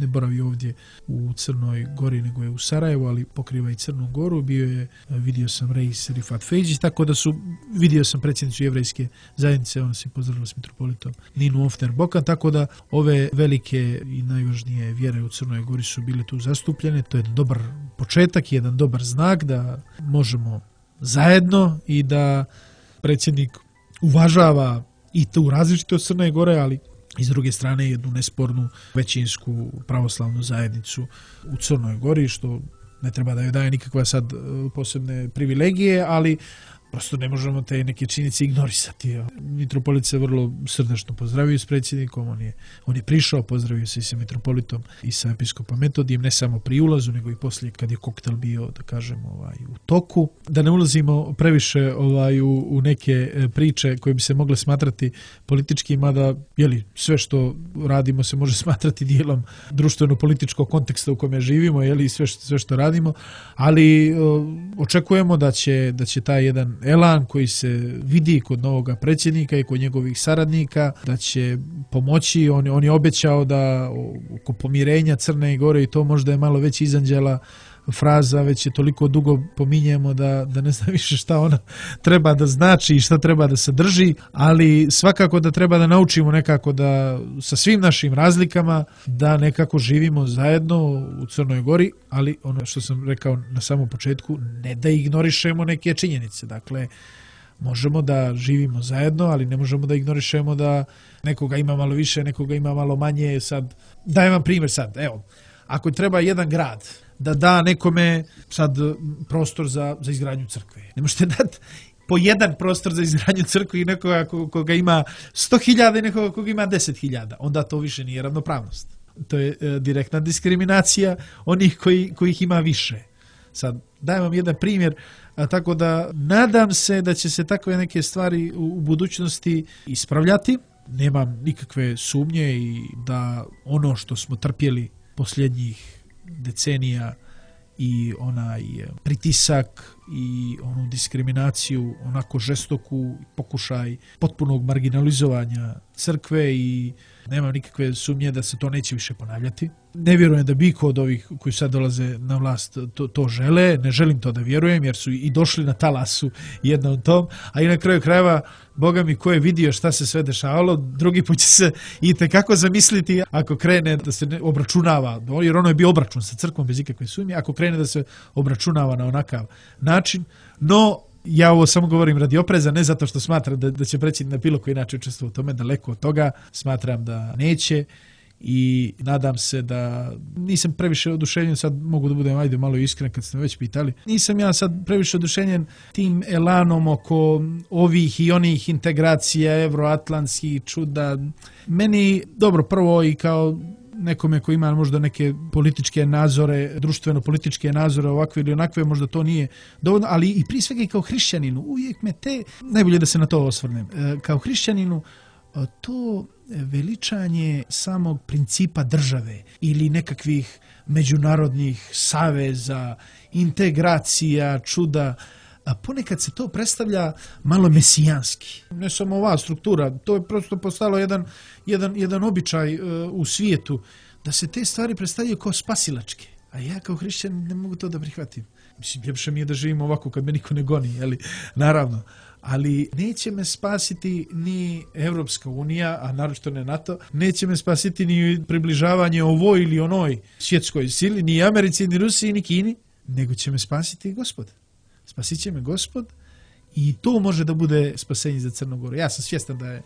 ne boravi ovdje u Crnoj Gori nego je u Sarajevu, ali pokriva i Crnu Goru. Bio je, vidio sam Reis Rifat Fejđić, tako da su, vidio sam predsjednicu jevrejske zajednice, ona se pozdravila s mitropolitom Ninu Ofner Bokan, tako da ove velike i najvažnije vjere u Crnoj Gori su bile tu zastupljene. To je jedan dobar početak, jedan dobar znak da možemo zajedno i da predsjednik uvažava i tu različitost Crne Gore, ali i s druge strane jednu nespornu većinsku pravoslavnu zajednicu u Crnoj Gori, što ne treba da joj daje nikakva sad posebne privilegije, ali prosto ne možemo te neke činjenice ignorisati. Mitropolit se vrlo srdačno pozdravio s predsjednikom, on je, on je prišao, pozdravio se i sa mitropolitom i sa episkopom Metodijem, ne samo pri ulazu, nego i poslije kad je koktel bio, da kažem, ovaj, u toku. Da ne ulazimo previše ovaj, u, u neke priče koje bi se mogle smatrati politički, mada jeli, sve što radimo se može smatrati dijelom društveno-političkog konteksta u kome živimo, jeli, sve, što, sve što radimo, ali o, očekujemo da će, da će taj jedan elan koji se vidi kod novog predsjednika i kod njegovih saradnika, da će pomoći. On, on je obećao da oko pomirenja Crne Gore, i to možda je malo već izanđela fraza, već je toliko dugo pominjemo da, da ne znam više šta ona treba da znači i šta treba da sadrži, ali svakako da treba da naučimo nekako da sa svim našim razlikama da nekako živimo zajedno u Crnoj Gori, ali ono što sam rekao na samom početku, ne da ignorišemo neke činjenice. Dakle, možemo da živimo zajedno, ali ne možemo da ignorišemo da nekoga ima malo više, nekoga ima malo manje. Sad, dajem vam primjer sad, evo, ako treba jedan grad da da nekome sad prostor za, za izgradnju crkve, ne možete dati po jedan prostor za izgradnju crkve i nekoga koga ima sto hiljada i nekoga koga ima deset hiljada, onda to više nije ravnopravnost. To je e, direktna diskriminacija onih koji, kojih ima više. Sad, dajem vam jedan primjer, a tako da nadam se da će se takve neke stvari u, u budućnosti ispravljati. Nemam nikakve sumnje i da ono što smo trpjeli posljednjih decenija i onaj pritisak i onu diskriminaciju, onako žestoku pokušaj potpunog marginalizovanja crkve, i nemam nikakve sumnje da se to neće više ponavljati. Ne vjerujem da bi kod ovih koji sad dolaze na vlast to, to žele, ne želim to da vjerujem jer su i došli na talasu jednom tom, a i na kraju krajeva, Boga mi, ko je vidio šta se sve dešavalo, drugi put će se i tekako zamisliti ako krene da se obračunava, jer ono je bio obračun sa crkvom bez ikakve sumnje, ako krene da se obračunava na onakav način, no ja ovo samo govorim radi opreza, ne zato što smatram da, da će predsjednik na bilo koji način učestvovati u tome, daleko od toga, smatram da neće i nadam se da nisam previše oduševljen, sad mogu da budem ajde malo iskren kad ste me već pitali, nisam ja sad previše oduševljen tim elanom oko ovih i onih integracija, evroatlantskih čuda. Meni, dobro, prvo i kao nekome koji ima možda neke političke nazore, društveno-političke nazore, ovakve ili onakve, možda to nije dovoljno, ali i prije svega i kao hrišćaninu, uvijek me te, najbolje da se na to osvrnem, kao hrišćaninu, to veličanje samog principa države ili nekakvih međunarodnih saveza, integracija, čuda, a ponekad se to predstavlja malo mesijanski. Ne samo ova struktura, to je prosto postalo jedan, jedan, jedan običaj uh, u svijetu, da se te stvari predstavljaju kao spasilačke. A ja kao hrišćan ne mogu to da prihvatim. Mislim, ljepše mi je da živim ovako kad me niko ne goni, jeli? Naravno. Ali neće me spasiti ni Evropska unija, a naročito ne NATO, neće me spasiti ni približavanje ovoj ili onoj svjetskoj sili, ni Americi, ni Rusiji, ni Kini, nego će me spasiti Gospod. Spasit će me Gospod i to može da bude spasenje za Crnu Goru. Ja sam svjestan da je,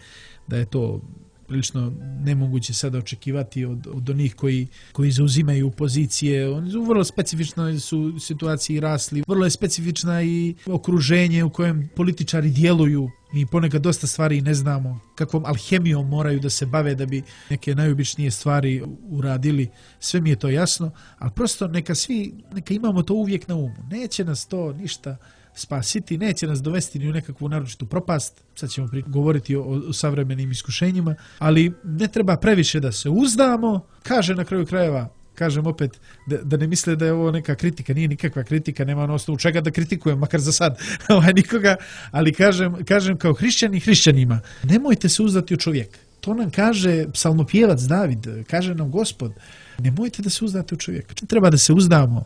da je to prilično nemoguće sada očekivati od, od onih koji, koji zauzimaju pozicije. Oni su u vrlo specifičnoj su situaciji rasli, vrlo je specifična i okruženje u kojem političari djeluju. Mi ponekad dosta stvari ne znamo kakvom alhemijom moraju da se bave da bi neke najobičnije stvari uradili. Sve mi je to jasno, ali prosto neka svi, neka imamo to uvijek na umu. Neće nas to ništa spasiti, neće nas dovesti ni u nekakvu naročitu propast. Sad ćemo govoriti o, o savremenim iskušenjima, ali ne treba previše da se uzdamo. Kaže na kraju krajeva, kažem opet, da, da ne misle da je ovo neka kritika, nije nikakva kritika, nema na osnovu čega da kritikujem, makar za sad ovaj, nikoga, ali kažem, kažem kao hrišćani hrišćanima, nemojte se uzdati u čovjeka. to nam kaže psalmopjevac David, kaže nam Gospod, nemojte da se uzdate u čovjeka. Treba da se uzdamo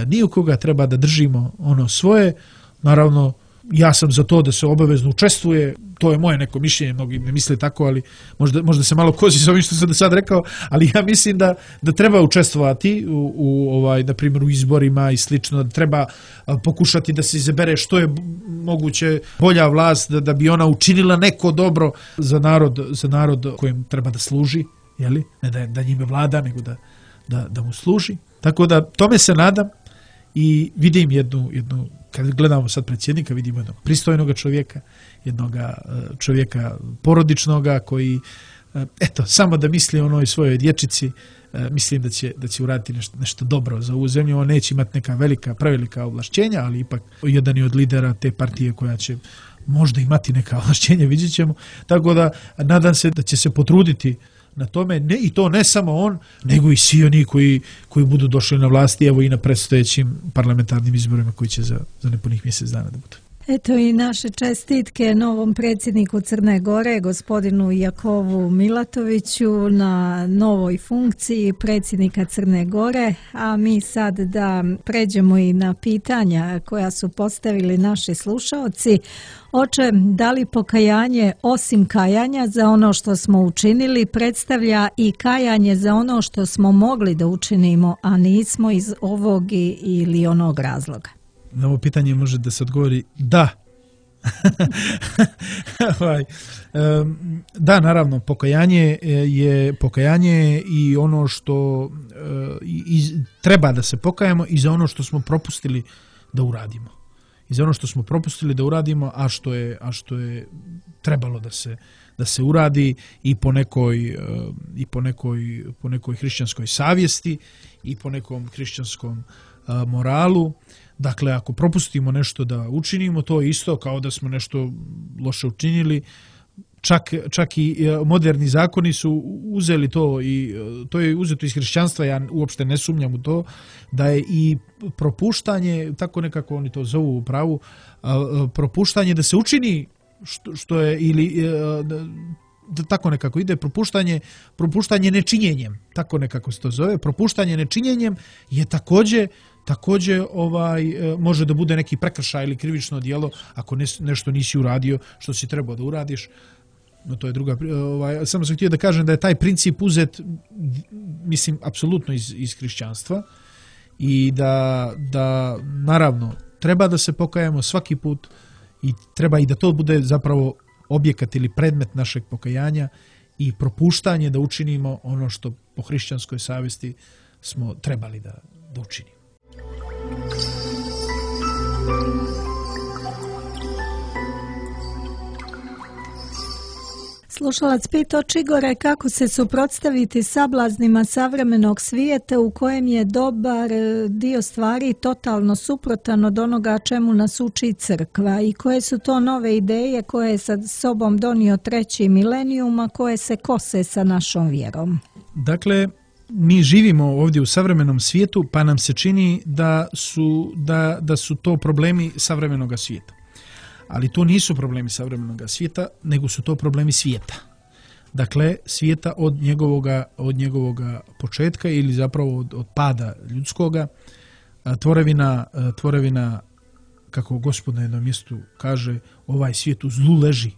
ni u koga, treba da držimo ono svoje. Naravno, ja sam za to da se obavezno učestvuje, to je moje neko mišljenje, mnogi ne misle tako, ali možda, možda se malo kozi s ovim što sam do sad rekao, ali ja mislim da, da treba učestvovati u, u ovaj, na primjer, u izborima i slično, da treba pokušati da se izabere što je moguće bolja vlast, da, da bi ona učinila neko dobro za narod, za narod kojem treba da služi, jeli? Ne da, da njime vlada, nego da, da, da mu služi. Tako da tome se nadam i vidim jednu, jednu kad gledamo sad predsjednika, vidimo jednog pristojnog čovjeka, jednog čovjeka porodičnoga koji, eto, samo da misli o onoj svojoj dječici, mislim da će, da će uraditi nešto, nešto dobro za ovu zemlju. On neće imati neka velika, prevelika ovlašćenja, ali ipak jedan je od lidera te partije koja će možda imati neka ovlašćenja, vidjet ćemo. Tako da nadam se da će se potruditi na tome, ne, i to ne samo on, nego i svi oni koji, koji budu došli na vlasti, evo i na predstojećim parlamentarnim izborima koji će za, za nepunih mjesec dana da budu. Eto i naše čestitke novom predsjedniku Crne Gore, gospodinu Jakovu Milatoviću, na novoj funkciji predsjednika Crne Gore, a mi sad da pređemo i na pitanja koja su postavili naši slušaoci. Oče, da li pokajanje osim kajanja za ono što smo učinili predstavlja i kajanje za ono što smo mogli da učinimo, a nismo iz ovog ili onog razloga? Na ovo pitanje može da se odgovori da. Da, naravno, pokajanje je pokajanje i ono što i, treba da se pokajemo i za ono što smo propustili da uradimo. I za ono što smo propustili da uradimo, a što je, a što je trebalo da se, da se uradi i po nekoj, i po nekoj, po nekoj hrišćanskoj savjesti i po nekom hrišćanskom moralu. Dakle, ako propustimo nešto da učinimo, to je isto kao da smo nešto loše učinili. Čak, čak i moderni zakoni su uzeli to i to je uzeto iz hrišćanstva, ja uopšte ne sumnjam u to, da je i propuštanje, tako nekako oni to zovu u pravu, propuštanje da se učini što, što je ili da tako nekako ide, propuštanje, propuštanje nečinjenjem, tako nekako se to zove, propuštanje nečinjenjem je također također ovaj, može da bude neki prekršaj ili krivično djelo ako ne, nešto nisi uradio što si trebao da uradiš. No to je druga, ovaj, samo sam htio da kažem da je taj princip uzet, mislim, apsolutno iz, iz hrišćanstva i da, da naravno treba da se pokajemo svaki put i treba i da to bude zapravo objekat ili predmet našeg pokajanja i propuštanje da učinimo ono što po hrišćanskoj savjesti smo trebali da, da učinimo. Slušalac pita Igore kako se suprotstaviti sablaznima savremenog svijeta u kojem je dobar dio stvari totalno suprotan od onoga čemu nas uči crkva i koje su to nove ideje koje je sa sobom donio treći milenijum, a koje se kose sa našom vjerom. Dakle, mi živimo ovdje u savremenom svijetu, pa nam se čini da su, da, da su to problemi savremenog svijeta. Ali to nisu problemi savremenog svijeta, nego su to problemi svijeta. Dakle, svijeta od njegovoga, od njegovoga početka ili zapravo od, od pada ljudskoga. Tvorevina, tvorevina, kako Gospod na jednom mjestu kaže, ovaj svijet u zlu leži.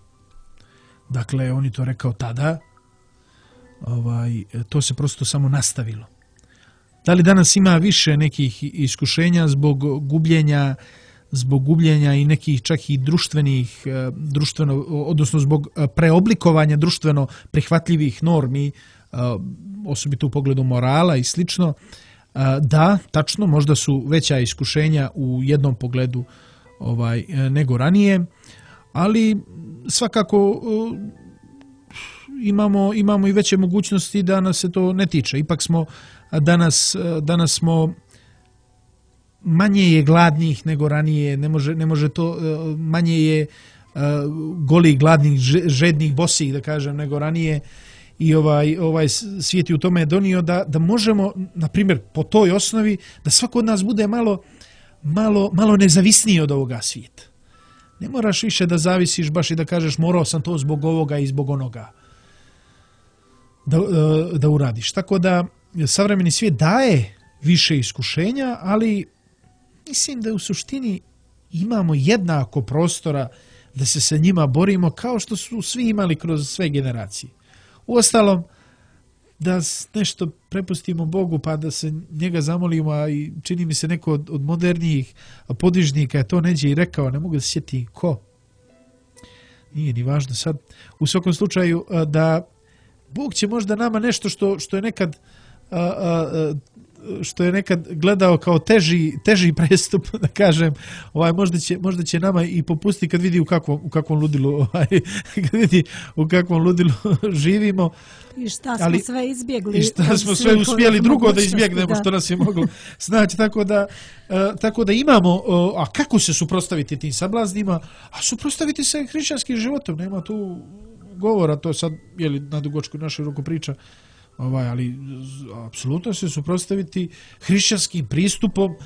Dakle, on je to rekao tada. Ovaj, to se prosto samo nastavilo. Da li danas ima više nekih iskušenja zbog gubljenja, zbog gubljenja i nekih čak i društvenih, društveno, odnosno zbog preoblikovanja društveno prihvatljivih normi, osobito u pogledu morala i slično, da, tačno, možda su veća iskušenja u jednom pogledu ovaj, nego ranije, ali svakako imamo, imamo i veće mogućnosti da nas se to ne tiče. Ipak smo danas, danas smo manje je gladnih nego ranije, ne može, ne može to, manje je golih, gladnih, žednih, bosih, da kažem, nego ranije i ovaj, ovaj svijet je u tome donio da, da možemo, na primjer, po toj osnovi, da svako od nas bude malo, malo, malo nezavisniji od ovoga svijeta. Ne moraš više da zavisiš baš i da kažeš morao sam to zbog ovoga i zbog onoga. da, da uradiš. Tako da savremeni svijet daje više iskušenja, ali mislim da u suštini imamo jednako prostora da se sa njima borimo kao što su svi imali kroz sve generacije. Uostalom, da nešto prepustimo Bogu pa da se njega zamolimo, a i čini mi se neko od, od modernijih podvižnika je to neđe i rekao, ne mogu da se sjeti ko. Nije ni važno sad. U svakom slučaju da Bog će možda nama nešto što, što je nekad a, a, što je nekad gledao kao teži, teži prestup, da kažem, ovaj, možda, će, možda će nama i popustiti kad vidi u kakvom, u kakvom ludilu ovaj, kad vidi u kakvom ludilu živimo. I šta smo ali, sve izbjegli. I šta smo sve uspjeli drugo da izbjegnemo da. Što nas je moglo znači. Tako da, uh, tako da imamo, uh, a kako se suprotstaviti tim sablaznima? A suprotstaviti se hrišćanskim životom, nema tu govora, to sad je li na dugočku našu ruku priča, ovaj, ali apsolutno se suprotstaviti hrišćanskim pristupom uh,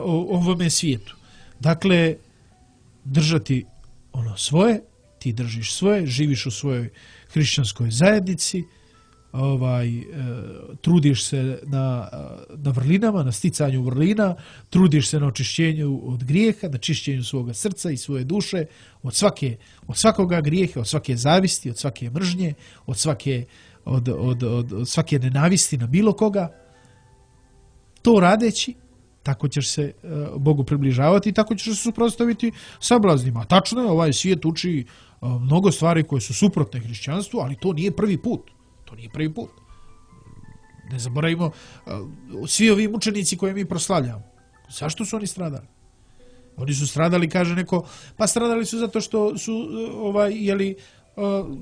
ovome svijetu. Dakle, držati ono svoje, ti držiš svoje, živiš u svojoj hrišćanskoj zajednici, ovaj, e, trudiš se na, na vrlinama, na sticanju vrlina, trudiš se na očišćenju od grijeha, na čišćenju svoga srca i svoje duše, od, svake, od svakoga grijeha, od svake zavisti, od svake mržnje, od svake, od, od, od, od svake nenavisti na bilo koga. To radeći, tako ćeš se uh, Bogu približavati i tako ćeš se suprotstaviti sablaznima. Tačno je, ovaj svijet uči uh, mnogo stvari koje su suprotne hrišćanstvu, ali to nije prvi put. To nije prvi put. Ne zaboravimo, uh, svi ovi mučenici koje mi proslavljamo, zašto su oni stradali? Oni su stradali, kaže neko, pa stradali su zato što su, uh, ovaj, jeli, uh,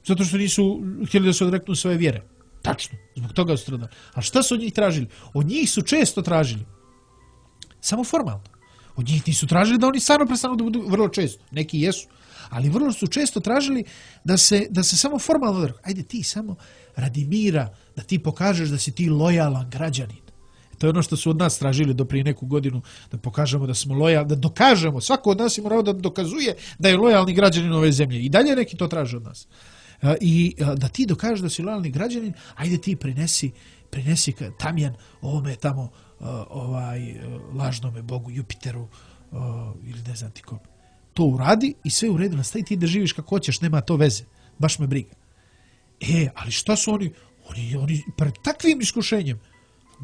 zato što nisu htjeli da se odreknu svoje vjere. Tačno, zbog toga su stradali. A šta su od njih tražili? Od njih su često tražili samo formalno. Od njih nisu tražili da oni stvarno prestanu da budu, vrlo često. Neki jesu, ali vrlo su često tražili da se, da se samo formalno odreknu. Ajde ti samo radi mira, da ti pokažeš da si ti lojalan građanin. To je ono što su od nas tražili do prije neku godinu, da pokažemo da smo lojalni, da dokažemo. Svako od nas ima pravo da dokazuje da je lojalni građanin ove zemlje. I dalje neki to traže od nas. I da ti dokažeš da si lojalni građanin, ajde ti prinesi, prinesi tamjan ovome tamo ovaj lažnome bogu Jupiteru ili ne znam ti kom. To uradi i sve u redu, nastavi ti da živiš kako hoćeš, nema to veze. Baš me briga. E, ali šta su oni? Oni, oni pred takvim iskušenjem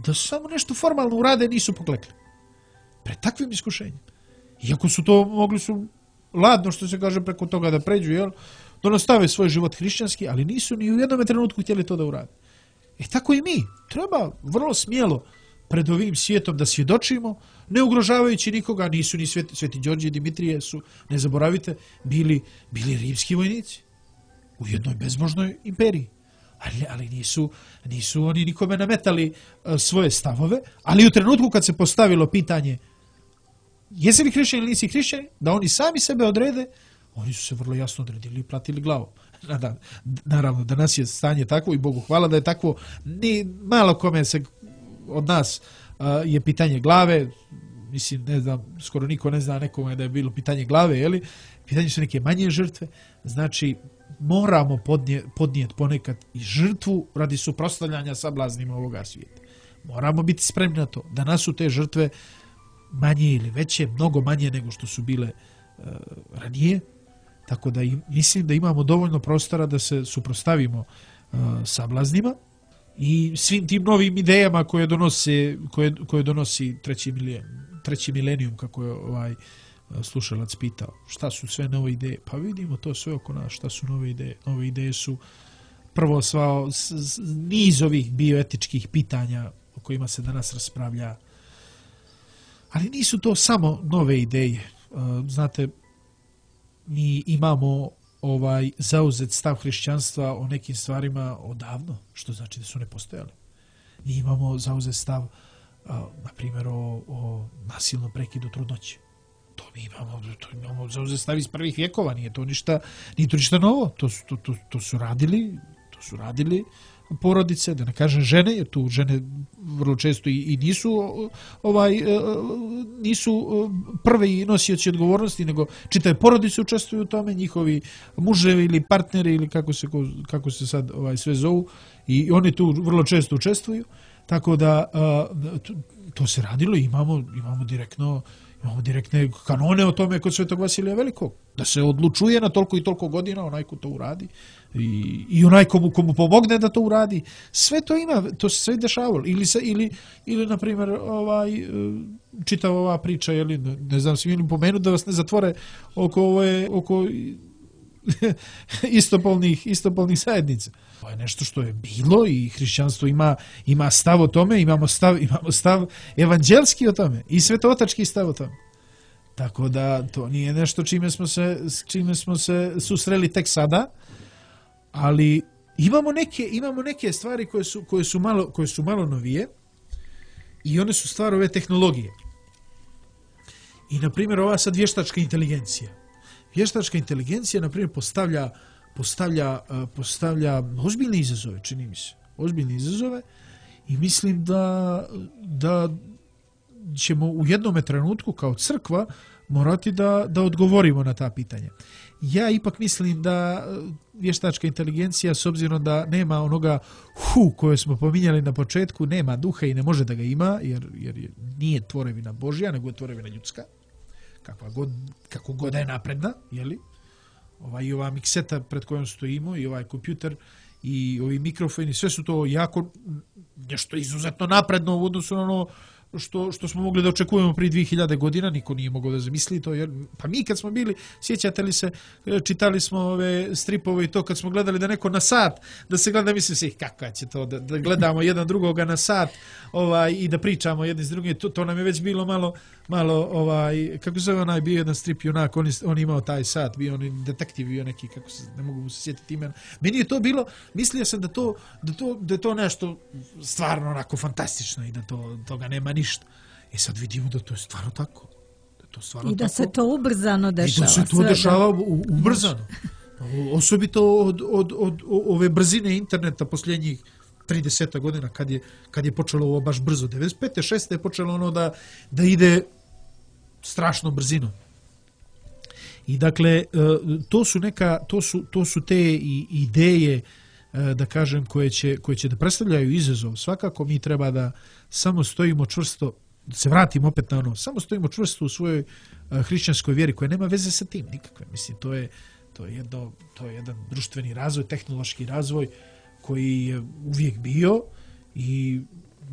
da samo nešto formalno urade nisu poklekli. Pred takvim iskušenjem. Iako su to mogli su ladno, što se kaže, preko toga da pređu, jel? Da nastave svoj život hrišćanski, ali nisu ni u jednom trenutku htjeli to da urade. E tako i mi. Treba vrlo smjelo pred ovim svijetom da svjedočimo, ne ugrožavajući nikoga, nisu ni Sveti, Sveti Đorđe i Dimitrije su, ne zaboravite, bili, bili rimski vojnici u jednoj bezbožnoj imperiji. Ali, ali nisu, nisu oni nikome nametali uh, svoje stavove, ali u trenutku kad se postavilo pitanje jesi li hrišćan ili nisi hrišćan, da oni sami sebe odrede, oni su se vrlo jasno odredili i platili glavu. Naravno, danas je stanje takvo i Bogu hvala da je takvo. Ni malo kome se od nas uh, je pitanje glave, mislim, ne znam, skoro niko ne zna nekome da je bilo pitanje glave, jeli? Pitanje su neke manje žrtve, znači moramo podnije, podnijeti ponekad i žrtvu radi suprotstavljanja sablaznima ovoga svijeta. Moramo biti spremni na to. Danas su te žrtve manje ili veće, mnogo manje nego što su bile uh, ranije, tako da im, mislim da imamo dovoljno prostora da se suprotstavimo uh, sablaznima i svim tim novim idejama koje donose, koje, koje donosi treći, milen, treći milenijum, kako je ovaj slušalac pitao. Šta su sve nove ideje? Pa vidimo to sve oko nas. Šta su nove ideje? Nove ideje su prvo sva niz ovih bioetičkih pitanja o kojima se danas raspravlja. Ali nisu to samo nove ideje. Znate, mi imamo ovaj zauzet stav hrišćanstva o nekim stvarima odavno, što znači da su ne postojali. Mi imamo zauzet stav, na primjer, o, o nasilnom prekidu trudnoće. To mi imamo, to imamo zauzet stav iz prvih vjekova, nije to ništa, nije to ništa novo. To su, to, to, to su radili, to su radili porodice, da ne kažem žene, jer tu žene vrlo često i, i nisu ovaj nisu prvi nosioci odgovornosti, nego čitave porodice učestvuju u tome, njihovi muževi ili partneri ili kako se kako se sad ovaj sve zovu i oni tu vrlo često učestvuju, tako da to, to se radilo i imamo, imamo direktno imamo direktne kanone o tome kod Svetog Vasilija Velikog, da se odlučuje na toliko i toliko godina onaj ko to uradi i, i onaj komu, komu pomogne da to uradi. Sve to ima, to se sve dešavalo. Ili, se, ili, ili na primjer, ovaj, čitava ova priča, jeli, ne znam, smijem pomenuti da vas ne zatvore oko, ove, oko istopolnih, istopolnih zajednica. To je nešto što je bilo i hrišćanstvo ima, ima stav o tome, imamo stav, imamo stav evanđelski o tome i svetootački stav o tome. Tako da to nije nešto čime smo se, čime smo se susreli tek sada, ali imamo neke, imamo neke stvari koje su, koje su malo, koje su malo novije i one su stvar ove tehnologije. I na primjer ova sad vještačka inteligencija. Vještačka inteligencija, na primjer, postavlja, postavlja, postavlja ozbiljne izazove, čini mi se. Ozbiljne izazove i mislim da, da ćemo u jednom trenutku kao crkva morati da, da odgovorimo na ta pitanja. Ja ipak mislim da vještačka inteligencija, s obzirom da nema onoga hu koje smo pominjali na početku, nema duha i ne može da ga ima, jer, jer nije tvorevina Božja, nego je tvorevina ljudska. Kakva god, kako god je napredna, jeli? Ova, i ova mikseta pred kojom stojimo, i ovaj kompjuter, i ovi mikrofoni, sve su to jako nešto izuzetno napredno u odnosu na ono što, što smo mogli da očekujemo prije dvije hiljade godina, niko nije mogao da zamisli to, jer, pa mi kad smo bili, sjećate li se, čitali smo ove stripove i to, kad smo gledali da neko na sat, da se gleda, mislim se, kakva će to, da, da gledamo jedan drugoga na sat, ovaj, i da pričamo jedni s drugim, to, to nam je već bilo malo, malo, ovaj, kako zove onaj, bio jedan strip junak, on, on imao taj sat, bio on detektiv, bio neki, kako se, ne mogu se sjetiti imena. Meni je to bilo, mislio sam da to, da to, da je to nešto stvarno onako fantastično i da to, toga nema ništa. I sad vidimo da to je stvarno tako. Da to stvarno I da tako. se to ubrzano dešava. I da se to sve, dešava da. ubrzano. Osobito od, od, od, od ove brzine interneta posljednjih trideset godina, kad je, kad je počelo ovo baš brzo. devedeset pete šeste je počelo ono da, da ide strašno brzinom. I dakle, to su neka, to su, to su te ideje, da kažem, koje će, koje će da predstavljaju izazov. Svakako mi treba da samo stojimo čvrsto, da se vratimo opet na ono, samo stojimo čvrsto u svojoj hrišćanskoj vjeri koja nema veze sa tim nikakve. Mislim, to je, to je, jedno, to je jedan društveni razvoj, tehnološki razvoj koji je uvijek bio i,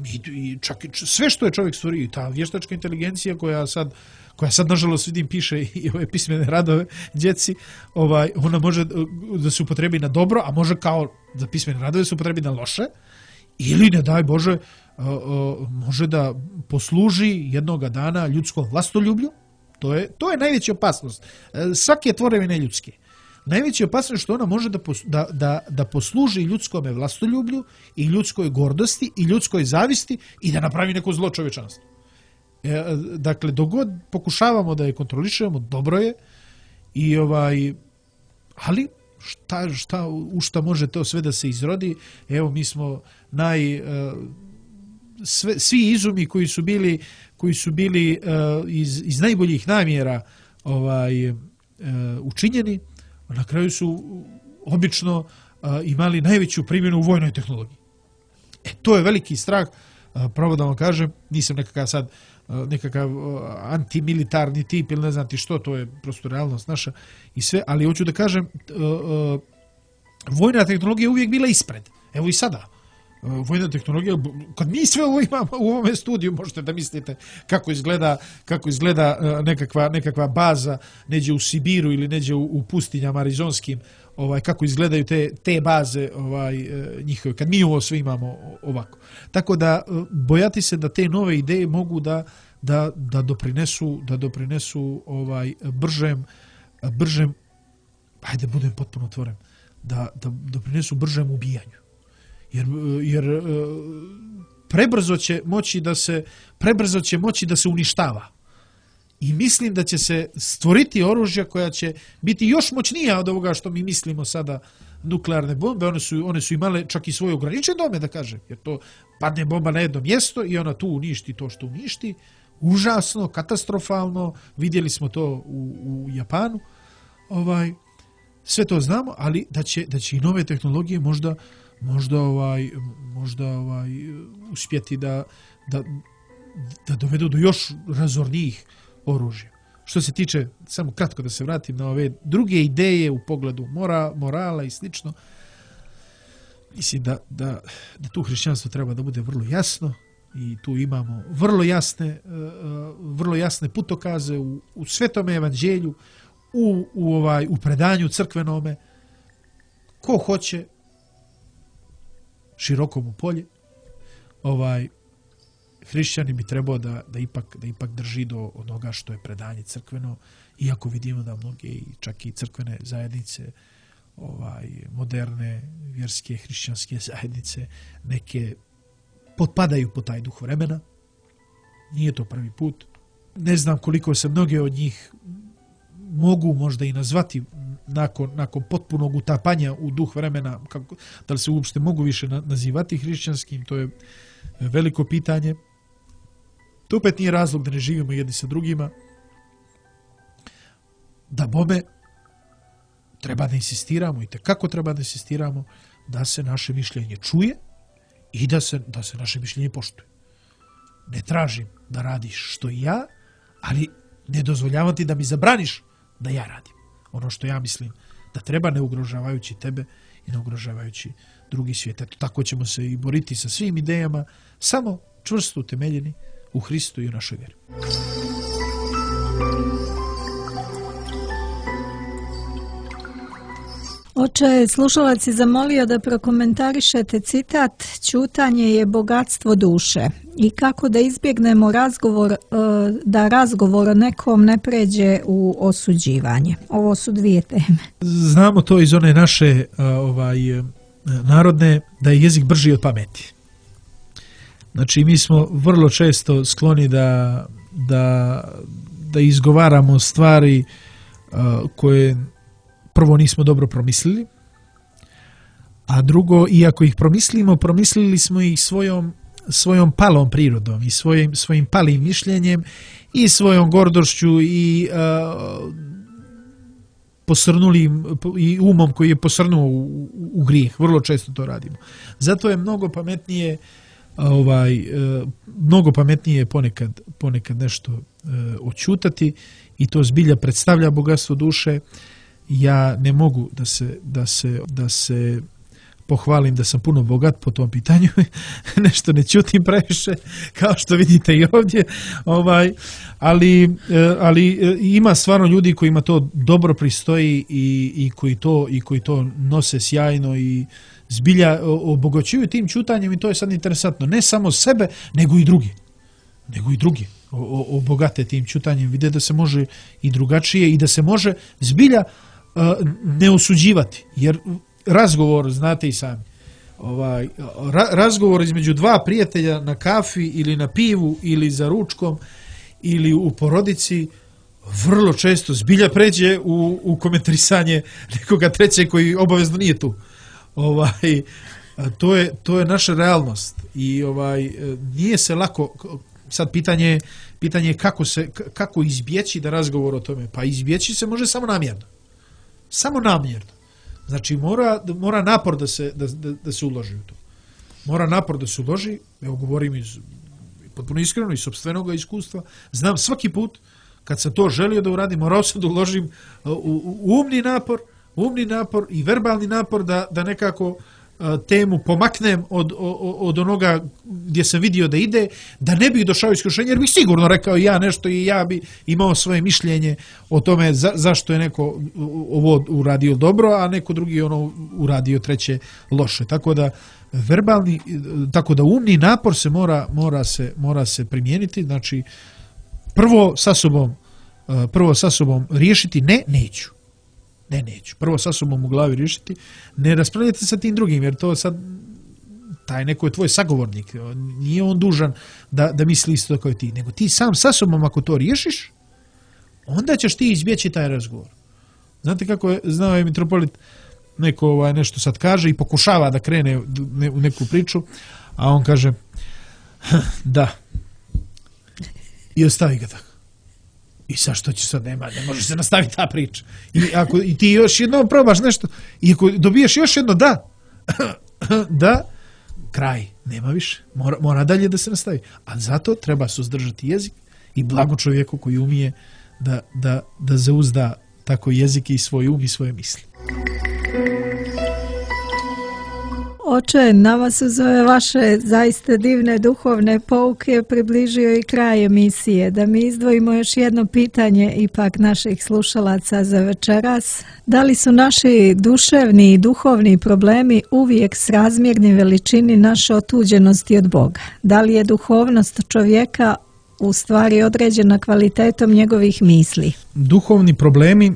i, i čak i sve što je čovjek stvorio, i ta vještačka inteligencija koja sad, koja sad nažalost vidim piše i ove pismene radove djeci, ovaj, ona može da se upotrebi na dobro, a može kao za pismene radove se upotrebi na loše, ili ne daj Bože, može da posluži jednoga dana ljudskom vlastoljublju. To je, to je najveća opasnost. Svake tvorevine ljudske. Najveća opasnost je što ona može da, da, da, da posluži ljudskome vlastoljublju i ljudskoj gordosti i ljudskoj zavisti i da napravi neko zlo čovječanstvu. E, dakle, dogod pokušavamo da je kontrolišemo, dobro je, i ovaj, ali šta, šta, u šta može to sve da se izrodi? Evo, mi smo naj... Sve, svi izumi koji su bili, koji su bili uh, iz, iz najboljih namjera ovaj, uh, učinjeni, na kraju su obično uh, imali najveću primjenu u vojnoj tehnologiji. E, to je veliki strah, uh, pravo da vam kažem, nisam nekakav sad uh, nekakav uh, antimilitarni tip ili ne znam ti što, to je prosto realnost naša i sve, ali hoću da kažem, uh, uh, vojna tehnologija je uvijek bila ispred. Evo i sada. Vojna tehnologija, kad mi sve ovo imamo u ovome studiju, možete da mislite kako izgleda, kako izgleda nekakva, nekakva baza neđe u Sibiru ili neđe u, u pustinjama arizonskim, ovaj, kako izgledaju te, te baze ovaj, njihove, kad mi ovo sve imamo ovako. Tako da bojati se da te nove ideje mogu da, da, da doprinesu, da doprinesu ovaj, bržem, bržem, hajde budem potpuno otvoren, da, da doprinesu bržem ubijanju. Jer, jer prebrzo će moći da se prebrzo će moći da se uništava. I mislim da će se stvoriti oružja koja će biti još moćnija od ovoga što mi mislimo sada, nuklearne bombe. One su, one su imale čak i svoje ograničene dome, da kažem. Jer to padne bomba na jedno mjesto i ona tu uništi to što uništi. Užasno, katastrofalno. Vidjeli smo to u, u Japanu. Ovaj, sve to znamo, ali da će, da će i nove tehnologije možda možda ovaj, možda ovaj, uspjeti da, da, da dovedu do još razornijih oružja. Što se tiče, samo kratko da se vratim na ove druge ideje u pogledu mora, morala i slično, mislim da, da, da tu hrišćanstvo treba da bude vrlo jasno i tu imamo vrlo jasne, vrlo jasne putokaze u, u Svetome evanđelju, u, u, ovaj, u predanju crkvenome. Ko hoće, široko mu polje, ovaj, hrišćanin bi trebao da, da, ipak, da ipak drži do onoga što je predanje crkveno, iako vidimo da mnoge i čak i crkvene zajednice, ovaj, moderne vjerske hrišćanske zajednice, neke potpadaju po taj duh vremena. Nije to prvi put. Ne znam koliko se mnoge od njih mogu možda i nazvati nakon, nakon potpunog utapanja u duh vremena, kako, da li se uopšte mogu više nazivati hrišćanskim, to je veliko pitanje. To opet nije razlog da ne živimo jedni sa drugima. Da bome treba da insistiramo i kako treba da insistiramo da se naše mišljenje čuje i da se, da se naše mišljenje poštuje. Ne tražim da radiš što i ja, ali ne dozvoljavam ti da mi zabraniš da ja radim ono što ja mislim da treba, ne ugrožavajući tebe i ne ugrožavajući drugi svijet. Eto, tako ćemo se i boriti sa svim idejama, samo čvrsto utemeljeni u Hristu i u našoj vjeri. Oče, slušalac je zamolio da prokomentarišete citat "Ćutanje je bogatstvo duše" i kako da izbjegnemo razgovor, da razgovor o nekom ne pređe u osuđivanje. Ovo su dvije teme. Znamo to iz one naše ovaj, narodne, da je jezik brži od pameti. Znači, mi smo vrlo često skloni da, da, da izgovaramo stvari koje prvo nismo dobro promislili, a drugo, iako ih promislimo, promislili smo ih svojom, svojom palom prirodom i svojim, svojim palim mišljenjem i svojom gordošću i uh, posrnulim i umom koji je posrnuo u, u, u grijeh. Vrlo često to radimo. Zato je mnogo pametnije ovaj, uh, mnogo pametnije ponekad, ponekad nešto uh, oćutati i to zbilja predstavlja bogatstvo duše. Ja ne mogu da se, da se, da se pohvalim da sam puno bogat po tom pitanju, nešto ne ćutim previše, kao što vidite i ovdje, ovaj, ali, ali ima stvarno ljudi kojima to dobro pristoji i, i, koji to, i koji to nose sjajno i zbilja obogaćuju tim ćutanjem i to je sad interesantno. Ne samo sebe, nego i drugi. Nego i drugi obogate tim ćutanjem. Vide da se može i drugačije i da se može zbilja ne osuđivati, jer razgovor, znate i sami, ovaj, ra, razgovor između dva prijatelja na kafi ili na pivu ili za ručkom ili u porodici vrlo često zbilja pređe u, u komentarisanje nekoga trećeg koji obavezno nije tu. Ovaj, to je, to je naša realnost i ovaj, nije se lako, sad pitanje, pitanje je kako, se, kako izbjeći da razgovor o tome, pa izbjeći se može samo namjerno. Samo namjerno. Znači mora, mora napor da se, da, da, da se uloži u to. Mora napor da se uloži, evo govorim iz potpuno iskreno iz sopstvenog iskustva, znam svaki put kad sam to želio da uradim, morao sam da uložim u, u, u umni napor, umni napor i verbalni napor da, da nekako temu pomaknem od, od, od onoga gdje sam vidio da ide, da ne bih došao iskušenje, jer bih sigurno rekao ja nešto i ja bi imao svoje mišljenje o tome za, zašto je neko ovo uradio dobro, a neko drugi ono uradio treće loše. Tako da verbalni, tako da umni napor se mora, mora se, mora se primijeniti, znači prvo sa sobom, prvo sa sobom riješiti ne, neću. Ne, neću. Prvo sa sobom u glavi riješiti. Ne raspravljate sa tim drugim, jer to sad taj neko je tvoj sagovornik. Nije on dužan da, da misli isto kao i ti. Nego ti sam sa sobom ako to riješiš, onda ćeš ti izbjeći taj razgovor. Znate kako je, znao je mitropolit, neko ovaj, nešto sad kaže i pokušava da krene u neku priču, a on kaže da. I ostavi ga tako. I sad što će sad, nema, ne može se nastaviti ta priča. I ako i ti još jednom probaš nešto, i ako dobiješ još jedno da, da kraj, nema više, mora, mora dalje da se nastavi. A zato treba suzdržati jezik i blago čovjeku koji umije da, da, da zauzda tako jezik i svoj um i svoje misli. Oče, nama su za ove vaše zaista divne duhovne pouke približio i kraj emisije. Da mi izdvojimo još jedno pitanje ipak naših slušalaca za večeras. Da li su naši duševni i duhovni problemi uvijek srazmjerni veličini naše otuđenosti od Boga? Da li je duhovnost čovjeka u stvari određena kvalitetom njegovih misli? Duhovni problemi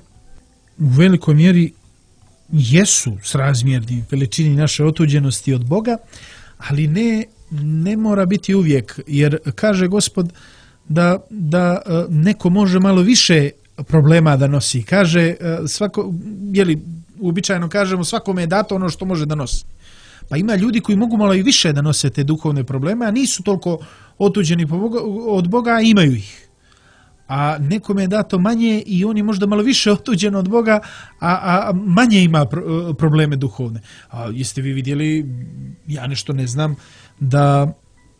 u velikoj mjeri jesu srazmjerni veličini naše otuđenosti od Boga, ali ne, ne mora biti uvijek, jer kaže Gospod da, da neko može malo više problema da nosi. Kaže, svako, jeli, uobičajeno kažemo, svakome je dato ono što može da nosi. Pa ima ljudi koji mogu malo i više da nose te duhovne probleme, a nisu toliko otuđeni od Boga, a imaju ih. A nekome je dato manje i on je možda malo više otuđen od Boga, a, a manje ima pro, probleme duhovne. A jeste vi vidjeli, ja nešto ne znam, da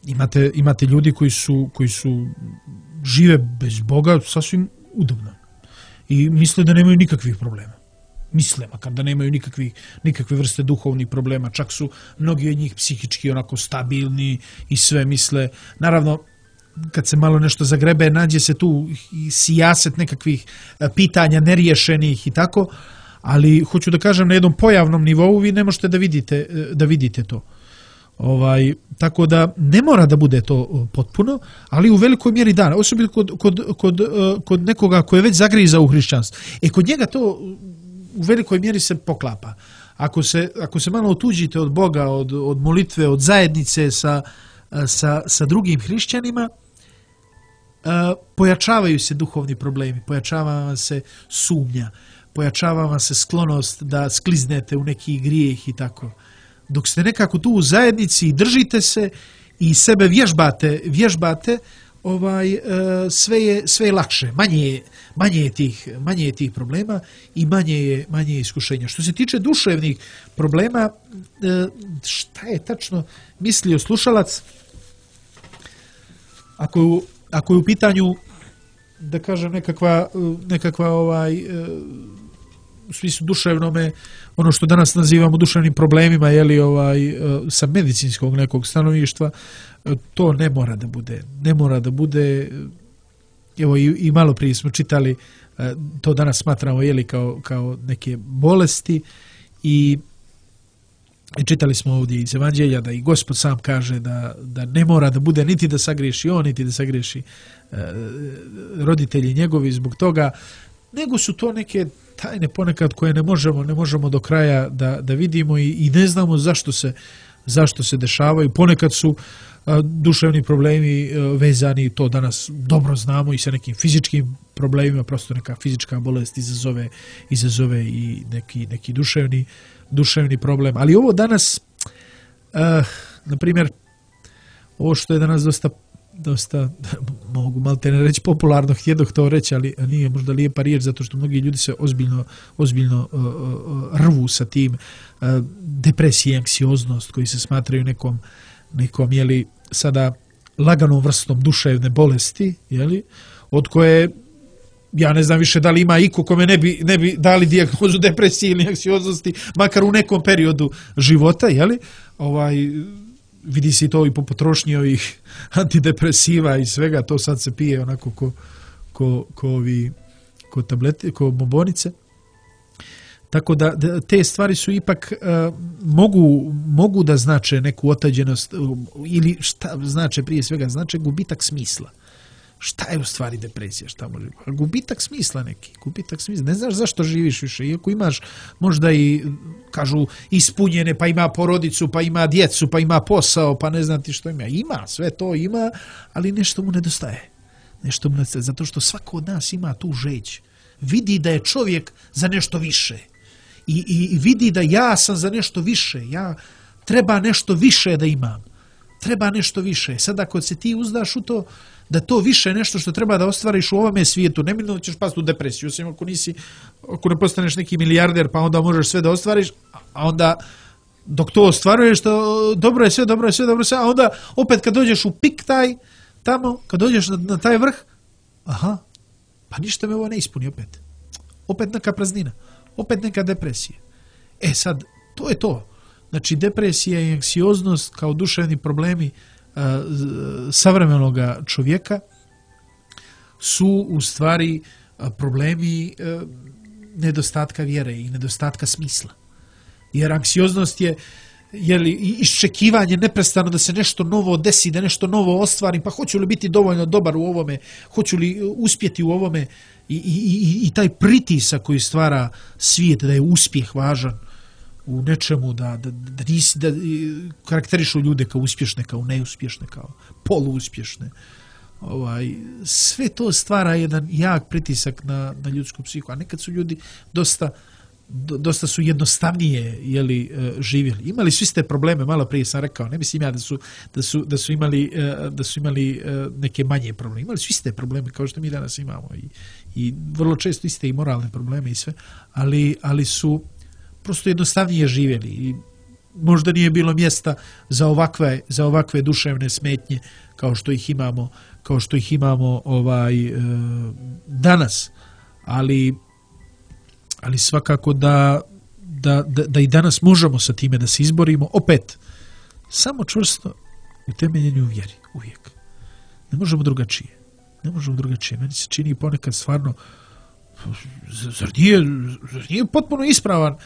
imate, imate ljudi koji su, koji su žive bez Boga sasvim udobno i misle da nemaju nikakvih problema. Misle, makar da nemaju nikakvih, nikakve vrste duhovnih problema, čak su mnogi od njih psihički onako stabilni i sve misle. Naravno, kad se malo nešto zagrebe, nađe se tu i sijaset nekakvih pitanja neriješenih i tako, ali hoću da kažem na jednom pojavnom nivou vi ne možete da vidite, da vidite to. Ovaj, tako da ne mora da bude to potpuno, ali u velikoj mjeri da, osobito kod, kod, kod, kod nekoga ko je već zagriza u hrišćanstvo. E kod njega to u velikoj mjeri se poklapa. Ako se, ako se malo otuđite od Boga, od, od molitve, od zajednice sa, sa, sa drugim hrišćanima, pojačavaju se duhovni problemi, pojačava vam se sumnja, pojačava vam se sklonost da skliznete u neki grijeh i tako. Dok ste nekako tu u zajednici i držite se i sebe vježbate, vježbate ovaj, sve, je, sve je lakše, manje je, manje je tih, manje je tih problema i manje je, manje je iskušenja. Što se tiče duševnih problema, šta je tačno mislio slušalac? Ako, ako je u pitanju, da kažem, nekakva, nekakva ovaj, u smislu duševnome, ono što danas nazivamo duševnim problemima, jeli, ovaj, sa medicinskog nekog stanovištva, to ne mora da bude. Ne mora da bude, evo i, i malo prije smo čitali, to danas smatramo, jeli, kao, kao neke bolesti i I čitali smo ovdje iz Evanđelja da i Gospod sam kaže da, da ne mora da bude niti da sagriješi on, niti da sagriješi e, roditelji njegovi zbog toga, nego su to neke tajne ponekad koje ne možemo, ne možemo do kraja da, da vidimo i, i ne znamo zašto se, zašto se dešavaju. Ponekad su a, duševni problemi a, vezani, to danas dobro znamo, i sa nekim fizičkim problemima, prosto neka fizička bolest izazove, izazove i neki, neki duševni duševni problem. Ali ovo danas, uh, na primjer, ovo što je danas dosta, dosta mogu malo te ne reći popularno, htjedoh to reći, ali nije možda lijepa riječ, zato što mnogi ljudi se ozbiljno, ozbiljno uh, uh, rvu sa tim, uh, depresija, anksioznost, koji se smatraju nekom, nekom, jeli, sada laganom vrstom duševne bolesti, jeli, od koje ja ne znam više da li ima iko kome ne bi, ne bi dali dijagnozu depresije ili anksioznosti, makar u nekom periodu života, jeli? Ovaj, vidi se to i po potrošnji ovih antidepresiva i svega, to sad se pije onako ko, ko, ko, ovi, ko tablete, ko bombonice. Tako da, da te stvari su ipak uh, mogu, mogu da znače neku otađenost uh, ili šta znače prije svega, znače gubitak smisla. Šta je u stvari depresija? Šta može? Gubitak smisla neki. Gubitak smisla. Ne znaš zašto živiš više. Iako imaš možda i, kažu, ispunjene, pa ima porodicu, pa ima djecu, pa ima posao, pa ne znam ti što ima. Ima, sve to ima, ali nešto mu nedostaje. Nešto mu nedostaje. Zato što svako od nas ima tu žeđ. Vidi da je čovjek za nešto više. I, i, i vidi da ja sam za nešto više. Ja treba nešto više da imam. Treba nešto više. Sad ako se ti uzdaš u to, da to više nešto što treba da ostvariš u ovome svijetu, neminovno ćeš pasti u depresiju, osim ako nisi, ako ne postaneš neki milijarder, pa onda možeš sve da ostvariš, a onda dok to ostvaruješ, to dobro je sve, dobro je sve, dobro je sve, a onda opet kad dođeš u pik taj, tamo, kad dođeš na, na taj vrh, aha, pa ništa me ovo ne ispuni opet. Opet neka praznina, opet neka depresija. E sad, to je to. Znači, depresija i anksioznost kao duševni problemi uh, savremenog čovjeka su u stvari uh, problemi uh, nedostatka vjere i nedostatka smisla. Jer anksioznost je, je li, iščekivanje neprestano da se nešto novo desi, da nešto novo ostvarim, pa hoću li biti dovoljno dobar u ovome, hoću li uspjeti u ovome i, i, i, i taj pritisak koji stvara svijet da je uspjeh važan u nečemu, da, da, da, nisi, da karakterišu ljude kao uspješne, kao neuspješne, kao poluuspješne. Ovaj, sve to stvara jedan jak pritisak na, na ljudsku psihu, a nekad su ljudi dosta dosta su jednostavnije jeli, živjeli. Imali su iste probleme, malo prije sam rekao, ne mislim ja da su, da su, da su, imali, da su imali neke manje probleme. Imali su iste probleme kao što mi danas imamo i, i vrlo često iste i moralne probleme i sve, ali, ali su prosto jednostavnije živjeli i možda nije bilo mjesta za ovakve, za ovakve duševne smetnje kao što ih imamo, kao što ih imamo ovaj, danas. Ali ali svakako da, da, da, da i danas možemo sa time da se izborimo, opet, samo čvrsto u temeljenju vjeri, uvijek. Ne možemo drugačije. Ne možemo drugačije. Meni se čini ponekad stvarno, zar nije, zar nije potpuno ispravan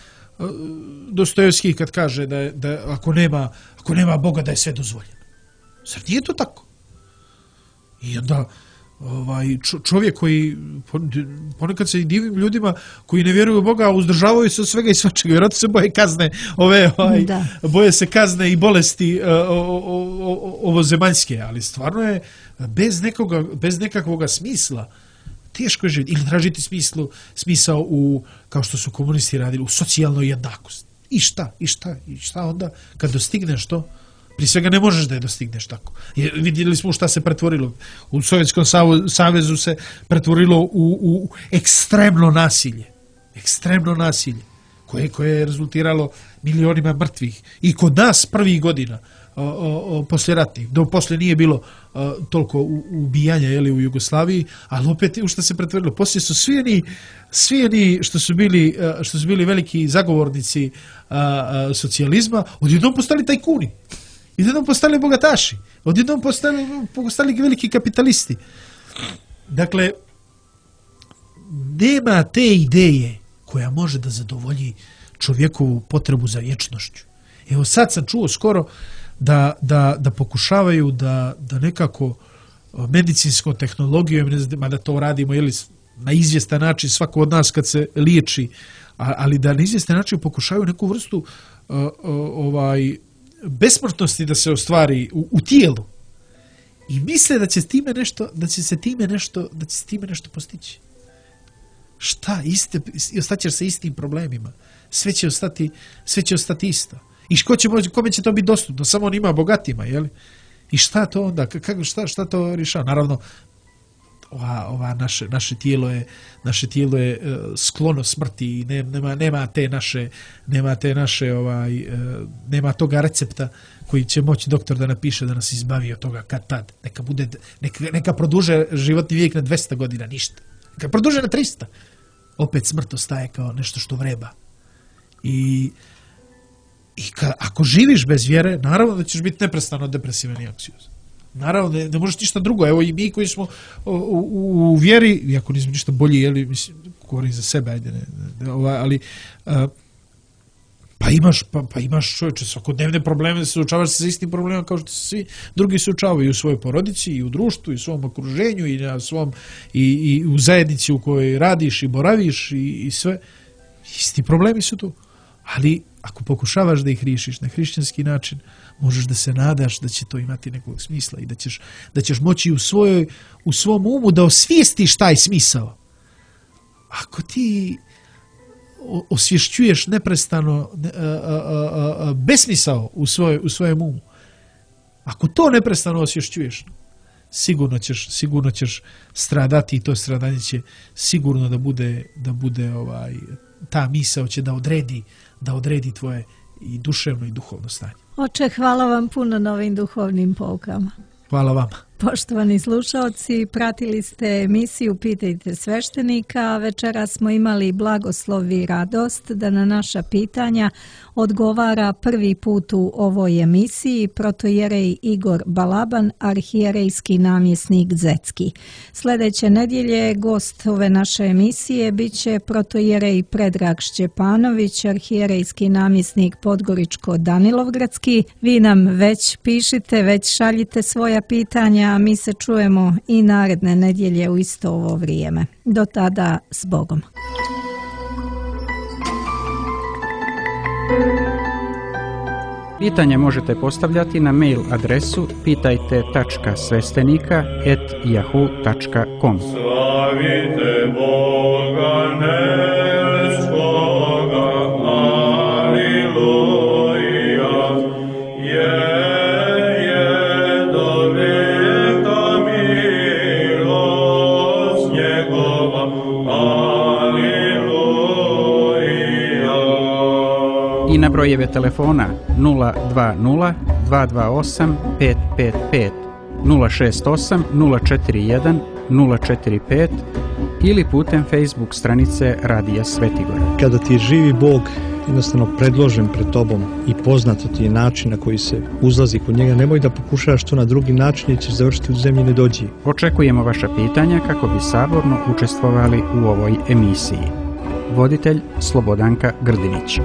Dostojevski kad kaže da, da ako, nema, ako nema Boga da je sve dozvoljeno. Zar nije to tako? I onda ovaj čovjek koji ponekad se divim ljudima koji ne vjeruju u Boga, a uzdržavaju se od svega i svačega, vjerojatno se boje kazne, ove, ovaj, boje se kazne i bolesti ovozemaljske, ali stvarno je bez nekoga, bez nekakvog smisla teško je živjeti. Ili tražiti smislu, smisao u, kao što su komunisti radili, u socijalnoj jednakosti. I šta? I šta? I šta onda kad dostigneš to? Prije svega ne možeš da je dostigneš tako. Jer vidjeli smo šta se pretvorilo. U Sovjetskom savezu se pretvorilo u, u ekstremno nasilje. Ekstremno nasilje. Koje, koje je rezultiralo milionima mrtvih. I kod nas prvih godina o, o, o, poslije ratnih. Do poslije nije bilo o, toliko ubijanja jeli, u Jugoslaviji, ali opet u šta se pretvorilo. Poslije su svi oni, svi oni što su bili, što su bili veliki zagovornici a, a, socijalizma, odjednom postali tajkuni. Odjednom postali bogataši, odjednom postali, postali veliki kapitalisti. Dakle, nema te ideje koja može da zadovolji čovjekovu potrebu za vječnošću. Evo sad sam čuo skoro da, da, da pokušavaju da, da nekako medicinskom tehnologijom, ne znam, da to radimo jeli, na izvjestan način svako od nas kad se liječi, ali da na izvjestan način pokušavaju neku vrstu uh, uh, ovaj besmrtnosti da se ostvari u, u tijelu i misle da će time nešto, da će se time nešto, da će se time nešto postići. Šta? Iste, ostaćeš sa istim problemima. Sve će ostati, sve će ostati isto. I ko će, kome će to biti dostupno? Samo on ima bogatima, je li? I šta to onda? Kako, šta, šta to rješava? Naravno, ova, ova naše, naše tijelo je, naše tijelo je uh, sklono smrti i ne, nema, nema te naše, nema te naše, ovaj, uh, nema toga recepta koji će moći doktor da napiše da nas izbavi od toga kad tad. Neka bude, neka, neka produže životni vijek na dvesta godina, ništa. Neka produže na trista. Opet smrt ostaje kao nešto što vreba. I, i ka, ako živiš bez vjere, naravno da ćeš biti neprestano depresivan i anksiozan. Naravno, ne, ne možeš ništa drugo. Evo i mi koji smo u, u, u vjeri, iako nismo ništa bolji, jeli, mislim, govorim za sebe, ajde, ne, ne, ovaj, ali a, pa imaš, pa, pa imaš čovječe, svakodnevne probleme, suočavaš se sa istim problemom kao što se svi drugi suočavaju u svojoj porodici, i u društvu, i u svom okruženju, i, na svom, i, i u zajednici u kojoj radiš i boraviš i, i sve. Isti problemi su tu. Ali ako pokušavaš da ih riješiš na hrišćanski način, možeš da se nadaš da će to imati nekog smisla i da ćeš, da ćeš moći u, svojoj, u svom umu da osvijestiš taj smisao. Ako ti osvješćuješ neprestano a, a, a, a, besmisao u, svoj, u svojem umu, ako to neprestano osvješćuješ, sigurno ćeš, sigurno ćeš stradati i to stradanje će sigurno da bude, da bude ovaj, ta misao će da odredi, da odredi tvoje i duševno i duhovno stanje. Oče, hvala vam puno na ovim duhovnim poukama. Hvala vama. Poštovani slušaoci, pratili ste emisiju Pitajte sveštenika. Večera smo imali blagoslov i radost da na naša pitanja odgovara prvi put u ovoj emisiji protojerej Igor Balaban, arhijerejski namjesnik Zecki. Sljedeće nedjelje gost ove naše emisije bit će protojerej Predrag Šćepanović, arhijerejski namjesnik Podgoričko-Danilovgradski. Vi nam već pišite, već šaljite svoja pitanja, a mi se čujemo i naredne nedjelje u isto ovo vrijeme. Do tada, s Bogom. Pitanje možete postavljati na mail adresu pitajte tačka sveštenika at yahoo tačka com. Slavite Boga nebskoga, aleluja, je, je do veka milost njegova, aleluja. I na brojeve telefona nula dva nula dva dva osam pet pet pet, nula šest osam nula četiri jedan nula četiri pet ili putem Facebook stranice Radija Svetigora. Kada ti je živi Bog jednostavno predložen pred tobom i poznato ti je način na koji se uzlazi kod njega, nemoj da pokušavaš to na drugi način jer ćeš završiti u zemlji nedođi. Očekujemo vaša pitanja kako bi saborno učestvovali u ovoj emisiji. Voditelj Slobodanka Grdinić.